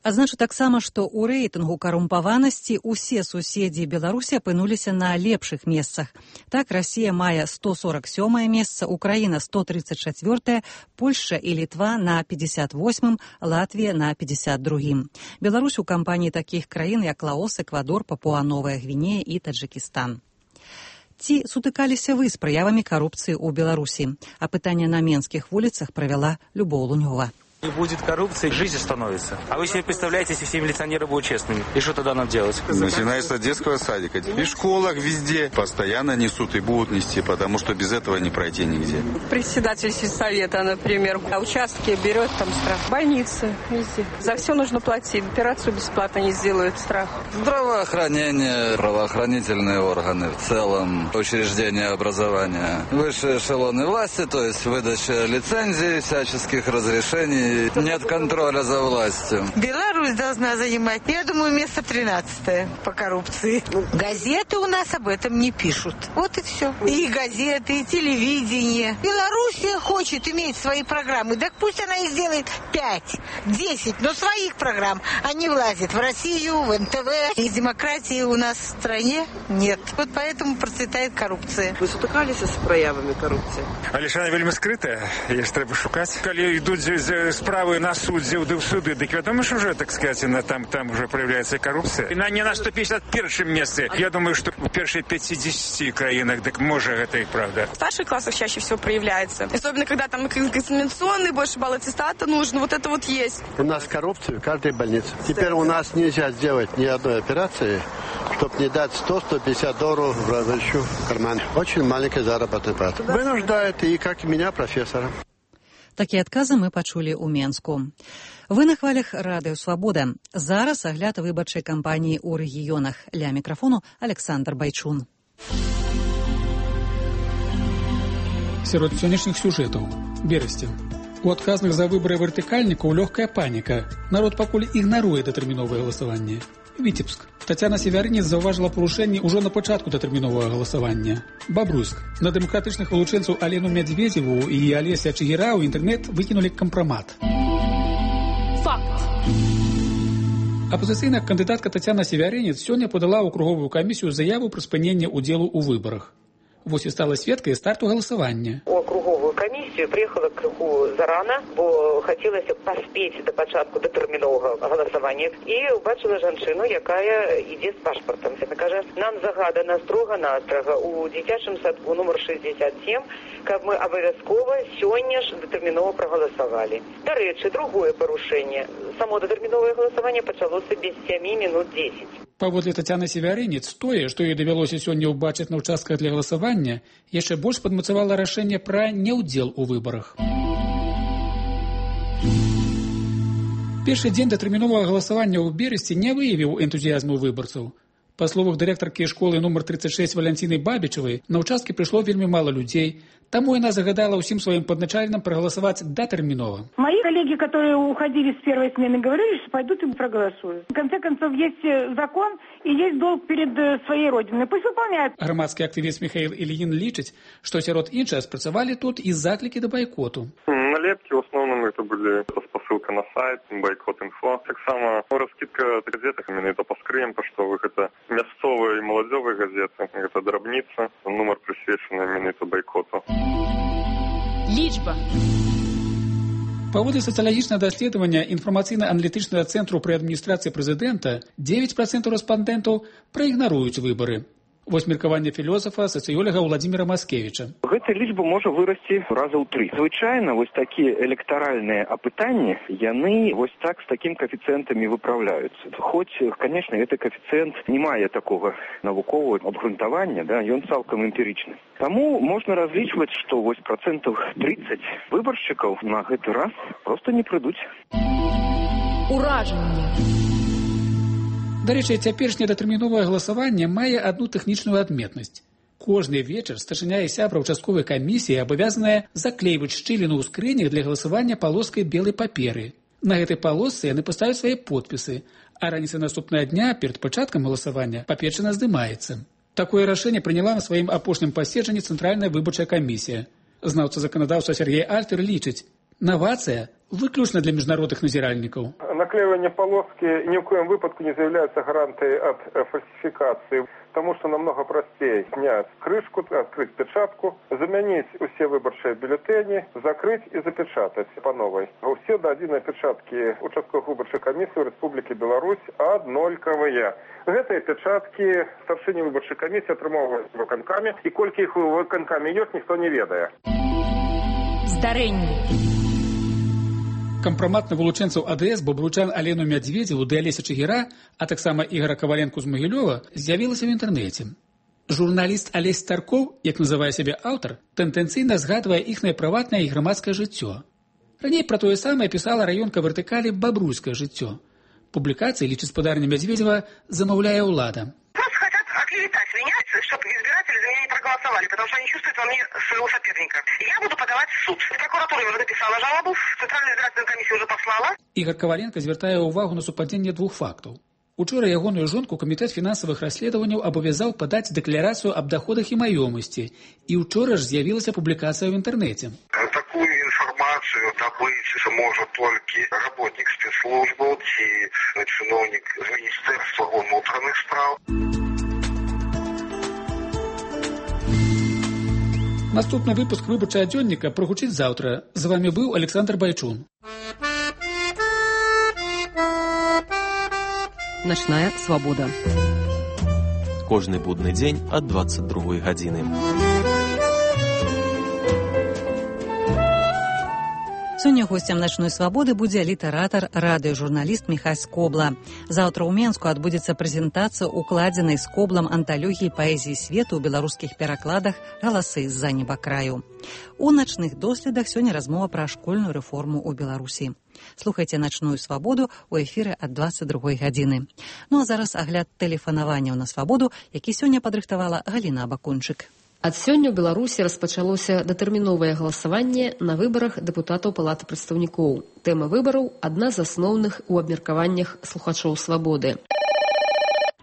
Speaker 2: Адзначу таксама, што ў рэйтынгу карумпаванасці ўсе суседзі Беларусі апынуліся на лепшых месцах. Так, Расія мае сто сорок сёмае месца, Украіна сто тридцать чатвёртае, Польшча і Літва на пятьдесят восьмым, Латвія на пятьдесят другім. Беларусь у кампаніі такіх краін, як Лаос, Эквадор, Папуа-Новая Гвінея і Таджыкістан. Ці сутыкаліся вы з праявамі карупцыі ў Беларусі? Апытанне на менскіх вуліцах правяла Любоў Лунёва.
Speaker 8: Не будет коррупции, жизнь остановится. А вы себе представляете, если все милиционеры будут честными? И что тогда нам делать?
Speaker 9: Начиная с детского садика. И в школах везде постоянно несут и будут нести, потому что без этого не пройти нигде.
Speaker 10: Председатель сельсовета, например, а участки берет там штраф. Больницы везде. За все нужно платить. Операцию бесплатно не сделают, страх.
Speaker 12: Здравоохранение, правоохранительные органы в целом, учреждения образования, высшие эшелоны власти, то есть выдача лицензий, всяческих разрешений. Нет контроля за властью.
Speaker 13: Беларусь должна занимать, я думаю, место тринадцатое по коррупции. Газеты у нас об этом не пишут. Вот и все. И газеты, и телевидение. Белоруссия хочет иметь свои программы. Так пусть она и сделает пять, десять, но своих программ. А не влазит в Россию, в эн тэ вэ. И демократии у нас в стране нет. Вот поэтому процветает коррупция.
Speaker 14: Вы сутыкались с проявами коррупции?
Speaker 15: Але ж она вельми скрытая. Її ж треба шукати. Коли йдуть справы на суддзів, да в суды, дык вядома, что уже, так сказать, там, там уже проявляется коррупция. И на не на сто пятьдесят первом месте. Я думаю, что в первых пятидесяти краинах, так может, это и правда.
Speaker 18: В старших классах чаще всего проявляется. Особенно, когда там экзаменационный, больше балл аттестата нужен. Вот это вот есть.
Speaker 23: У нас коррупция в каждой больнице. Теперь у нас нельзя сделать ни одной операции, чтобы не дать сто — сто пятьдесят долларов врачу в карман. Очень маленькая заработная плата. Вынуждает и, как и меня, профессора.
Speaker 2: Такія адказы мы пачулі ў Менску. Вы на хвалях радыё Свабода. Зараз агляд выбарчай кампаніі ў рэгіёнах. Ля мікрафону Александр Байчун.
Speaker 24: Сярод сённяшніх сюжэтаў. Берасцін. У адказных за выбары вертыкальнікаў лёгкая паніка. Народ пакуль ігнаруе датэрміновае галасаванне. Віцебск. Тацяна Севярынец заўважыла парушэнні ўжо на пачатку датэрміновага галасавання. Бабруйск. На дэмакратычных вылучэнцаў Алену Мядзведзеву і Алеся Чыгіра ў інтэрнэт выкінулі кампрамат.
Speaker 18: Факт.
Speaker 24: Апазіцыйная кандыдатка Тацяна Севярынец сёння падала ў круговую камісію заяву пра спыненне ўдзелу ў выбарах. Вось і стала сведкай старту галасавання.
Speaker 25: У круговую камісію приехала крыху зарана, бо хацелася паспець да пачатку датэрміновага галасавання. І убачыла жанчыну, якая ідзе з пашпартам. Яна кажа, нам загадана строга-настрага у дзіцячым садку нумар шестьдесят семь, каб мы абавязкова сёння ж датэрмінова прагаласавалі. Дарэчы, другое парушэнне. Само датэрміновае галасаванне пачалося без сямі мінут дзесяць.
Speaker 24: Паводле Тацяны Севярынец, тое, што ёй давялося сёння ўбачыць на ўчастках для галасавання, яшчэ больш падмацавала рашэнне пра неўдзел у выбарах. Першы дзень датэрміновага галасавання ў Берасці не выявіў энтузіязму выбарцаў. Па словах дырэктаркі школы нумар тридцать шесть Валянціны Бабічавай, на ўчасткі прыйшло вельмі мала людзей, таму яна загадала ўсім сваім падначальным прагаласаваць датэрмінова.
Speaker 31: Мои коллеги, которые уходили с первой смены, говорили, что пойдут и проголосуют. В конце концов, есть закон и есть долг перед своей родиной. Пусть выполняют.
Speaker 24: Грамадскі актывіст Михаил Ильин лічыць, што сярод іншага спрацавалі тут і заклікі да байкоту.
Speaker 32: Налепки в основном это были посылка на сайт, бойкот инфо. Так само раскидка газет, именно это по скрым, поштовых, это мясцовые и молодежные газеты, это дробница, номер присвеченный именно это бойкоту.
Speaker 18: Лічба.
Speaker 24: Паводле сацыялагічнага даследавання інфармацыйна-аналітычнага цэнтру пры адміністрацыі прэзідэнта девять процентов рэспандэнтаў праігнаруюць выбары. Вось меркаванне філосафа, сацыёлага Владзіміра Маскевіча.
Speaker 33: Гэта лічба можа вырасці раза ў тры. Звычайна вось такія электаральныя апытанні, яны вось так з такім каэфіцыентамі выпраўляюцца. Хоць, конечно, гэты каэфіцыент не мае такога навуковага абгрунтавання, да, ён цалкам эмпірычны. Таму можна разлічваць, што вось процентаў тридцать выбаршчыкаў на гэты раз проста не прыйдуць.
Speaker 18: Уражанне.
Speaker 24: Дарэчы, цяперашняе датэрміновае галасаванне мае адну тэхнічную адметнасць. Кожны вечар старшыня і сябра ўчастковай камісіі абавязаныя заклейваць шчыліну ў скрынях для галасавання палоскай белай паперы. На гэтай палосцы яны паставяць свае подпісы, а раніцай наступнага дня перад пачаткам галасавання паперчына здымаецца. Такое рашэнне прыняла на сваім апошнім паседжанні Цэнтральная выбарчая камісія. Знаўца заканадаўства Сергей Альтер лічыць, навацыя выключна для міжнародных назіральнікаў.
Speaker 32: Наклеивание полоски ни в коем выпадку не является гарантией от фальсификации, потому что намного простее снять крышку, открыть печатку, заменить все выборчие бюллетени, закрыть и запечатать по новой. Все до единой печатки участковых выборчих комиссий в Республике Беларусь однольковые. Гэтые печатки старшыні выборчай комиссии атрымоўваюць выканкамі, і колькі іх у выканкамі ёсць, ніхто не ведае.
Speaker 24: Здарэнне. Кампрамат на вылучэнцаў АДС бабручан Алену Мядзведзеву ды Алеся Чигіра, а таксама Ігора Каваленку з Магілёва, з'явілася ў інтэрнэце. Журналіст Алесь Старкоў, як называе сябе аўтар, тэндэнцыйна згадвае іхнае прыватнае і грамадскае жыццё. Раней пра тое самае пісала раёнка вертыкалі «Бабруйскае жыццё». Публікацыі, лічыць спадарня Мядзведзева, замаўляе ўлада.
Speaker 25: Просто хотят оклеветать меня, чтобы избиратели за меня не проголосовали, потому что они чувствуют во мне своего соперника. Я буду подавать в суд. Прокуратура уже написала жалобу, Центральную избирательную комиссию уже послала.
Speaker 24: Ігор Каваленка звяртае ўвагу на супадзенне двух фактаў. Учора ягоную жонку камітэт фінансавых расследаванняў абавязаў падаць дэкларацыю аб даходах і маёмасці. І ўчора ж з'явілася публікацыя ў інтэрнэце.
Speaker 1: Такую информацию добыть может только работник спецслужбы и чиновник Министерства внутренних справ.
Speaker 24: Наступны выпуск выбарчага дзённіка прагучыць заўтра. З вами быў Александр Байчун.
Speaker 26: Начная свабода.
Speaker 4: Кожны будны дзень ад дваццаць другой гадзіны.
Speaker 2: Сёння госцем начной свабоды будзе літаратар, радыёжурналіст Міхась Скобла. Заўтра ў Менску адбудзецца прэзентацыя укладзенай Скоблам анталогіі паэзіі свету ў беларускіх перакладах «Галасы з-за неба краю». У начных доследах сёння размова пра школьную рэформу ў Беларусі. Слухайце начную свабоду ў эфіры ад дваццаць другой гадзіны. Ну а зараз агляд тэлефанаванняў на свабоду, які сёння падрыхтавала Галіна Абакунчык.
Speaker 11: Ад сёння ў Беларусі распачалося датэрміновае галасаванне на выбарах дэпутатаў Палаты прадстаўнікоў. Тэма выбараў – адна з асноўных у абмеркаваннях слухачоў свабоды.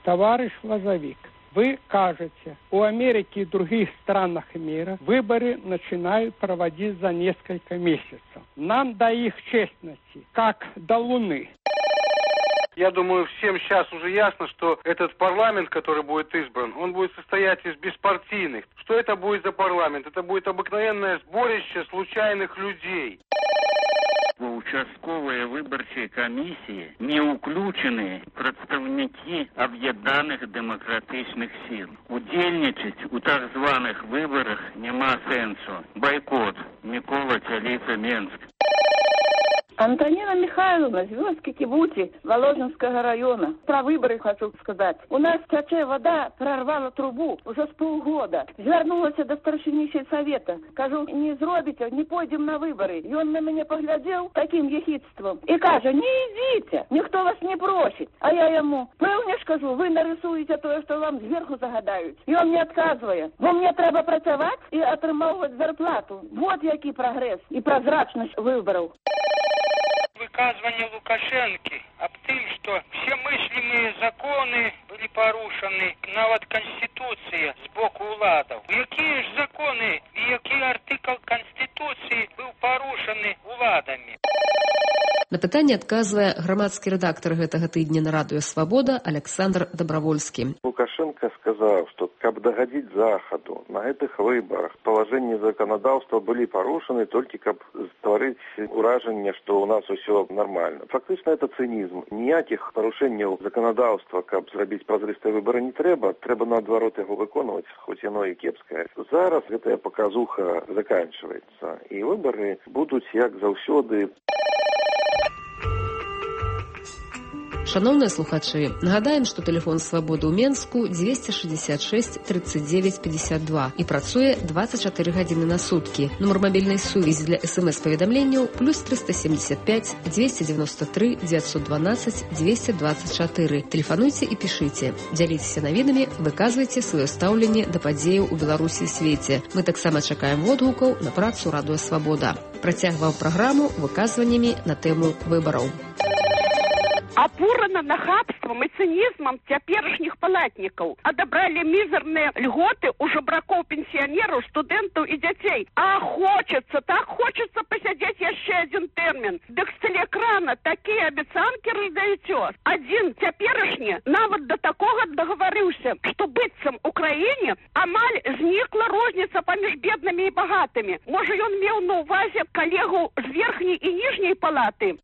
Speaker 16: Товарищ Лозовик, вы кажете, у Америки и других странах мира выборы начинают проводить за несколько месяцев. Нам до их честности, как до Луны.
Speaker 17: Я думаю, всем сейчас уже ясно, что этот парламент, который будет избран, он будет состоять из беспартийных. Что это будет за парламент? Это будет обыкновенное сборище случайных людей.
Speaker 19: В участковые выборчие комиссии не уключены представники объединенных демократичных сил. Удельничать у так званых выборах нема сенсу. Бойкот. Микола Чалица, Менск.
Speaker 31: Антонина Михайловна, Звездки Кибути, Воложенского района. Про выборы хочу сказать. У нас тече вода, прорвала трубу уже с полгода. Звернулась до старшини сельсовета. Кажу, не зробите, не пойдем на выборы. И он на меня поглядел таким ехидством. И каже, не идите, никто вас не просит. А я ему, певне ж кажу, вы нарисуете то, что вам сверху загадают. И он мне отказывает. Бо мне треба працювати и отримувати зарплату. Вот який прогресс и прозрачность выборов.
Speaker 20: Выказывание Лукашенко об том, что все мыслимые законы были порушены, нават Конституция с боку уладов. Какие же законы и какой артикл Конституции был порушены уладами?
Speaker 11: На пытанне адказвае грамадскі рэдактар гэтага тыдня на радыё «Свабода» Александр Добровольскі.
Speaker 32: Лукашенко сказал, что каб догодить Заходу на этих выборах положения законодательства были порушены только каб створить уражение, что у нас все нормально. Фактично это цинизм. Ніяких порушений законодательства, каб зробить прозрыстые выборы не треба, треба наоборот его выконывать, хоть оно и кепское. Зараз эта показуха заканчивается, и выборы будут, як заўсёды.
Speaker 11: Шановныя слухачы, нагадаем, што тэлефон свабоды ў Менску дзвесце шэсцьдзесят шэсць тридцать девять пятьдесят два і працуе двадцать чатыры гадзіны на суткі. Нумар мабільнай сувязі для эс-эм-эс-паведамленняў плюс триста семьдесят пять двести девяносто три девятьсот двенадцать двести двадцать четыре. Тэлефануйце і пішыце. Дзяліцеся навінамі, выказвайце сваё стаўленне да падзеяў у Беларусі і свеце. Мы таксама чакаем водгукаў на працу радыё «Свабода». Працягваў праграму выказваннямі на тэму выбараў.
Speaker 31: Опурано нахабство
Speaker 3: хамствам и цинизмом теперешних палатников. Отобрали мизерные льготы у жебраков, пенсионеров, студентов и детей. А хочется, так хочется посидеть еще один термин. Так с телеэкрана такие обещанки раздаете. Один теперешний навод до такого договорился, что быццам Украине амаль зникла розница поміж бедными и богатыми. Может, он имел на увазе коллегу с верхней и нижней палаты?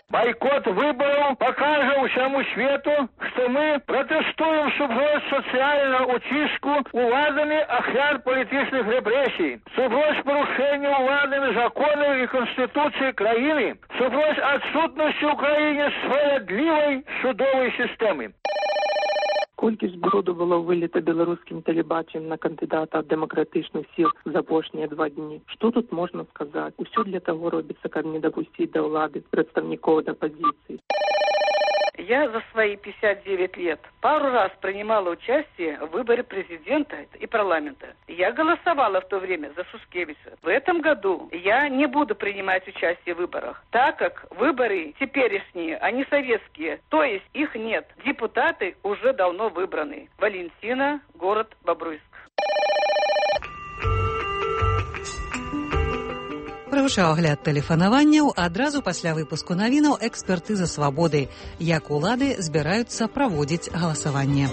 Speaker 5: Бойкот выборов покажет всему свету, что мы протестуем супротив социального утиску уладами охран политических репрессий, супротив порушения уладами законов и конституции краины, супротив отсутности в Украине справедливой судовой системы.
Speaker 6: Колькі зброду было вылета беларускім тэлебачаннем на кандыдата ад дэмакратычных сіл за апошнія два дні? Што тут можна сказаць? Усё для таго робіцца, каб не дапусціць да ўлады прадстаўнікоў апозіцыі.
Speaker 7: Я за свои пятьдесят девять лет пару раз принимала участие в выборе президента и парламента. Я голосовала в то время за Сушкевича. В этом году я не буду принимать участие в выборах, так как выборы теперешние, они советские, то есть их нет. Депутаты уже давно выбраны. Валентина, город Бобруйск.
Speaker 2: Прагучаў агляд тэлефанаванняў адразу пасля выпуску навінаў экспертыза свабоды, як улады збіраюцца праводзіць галасаванне.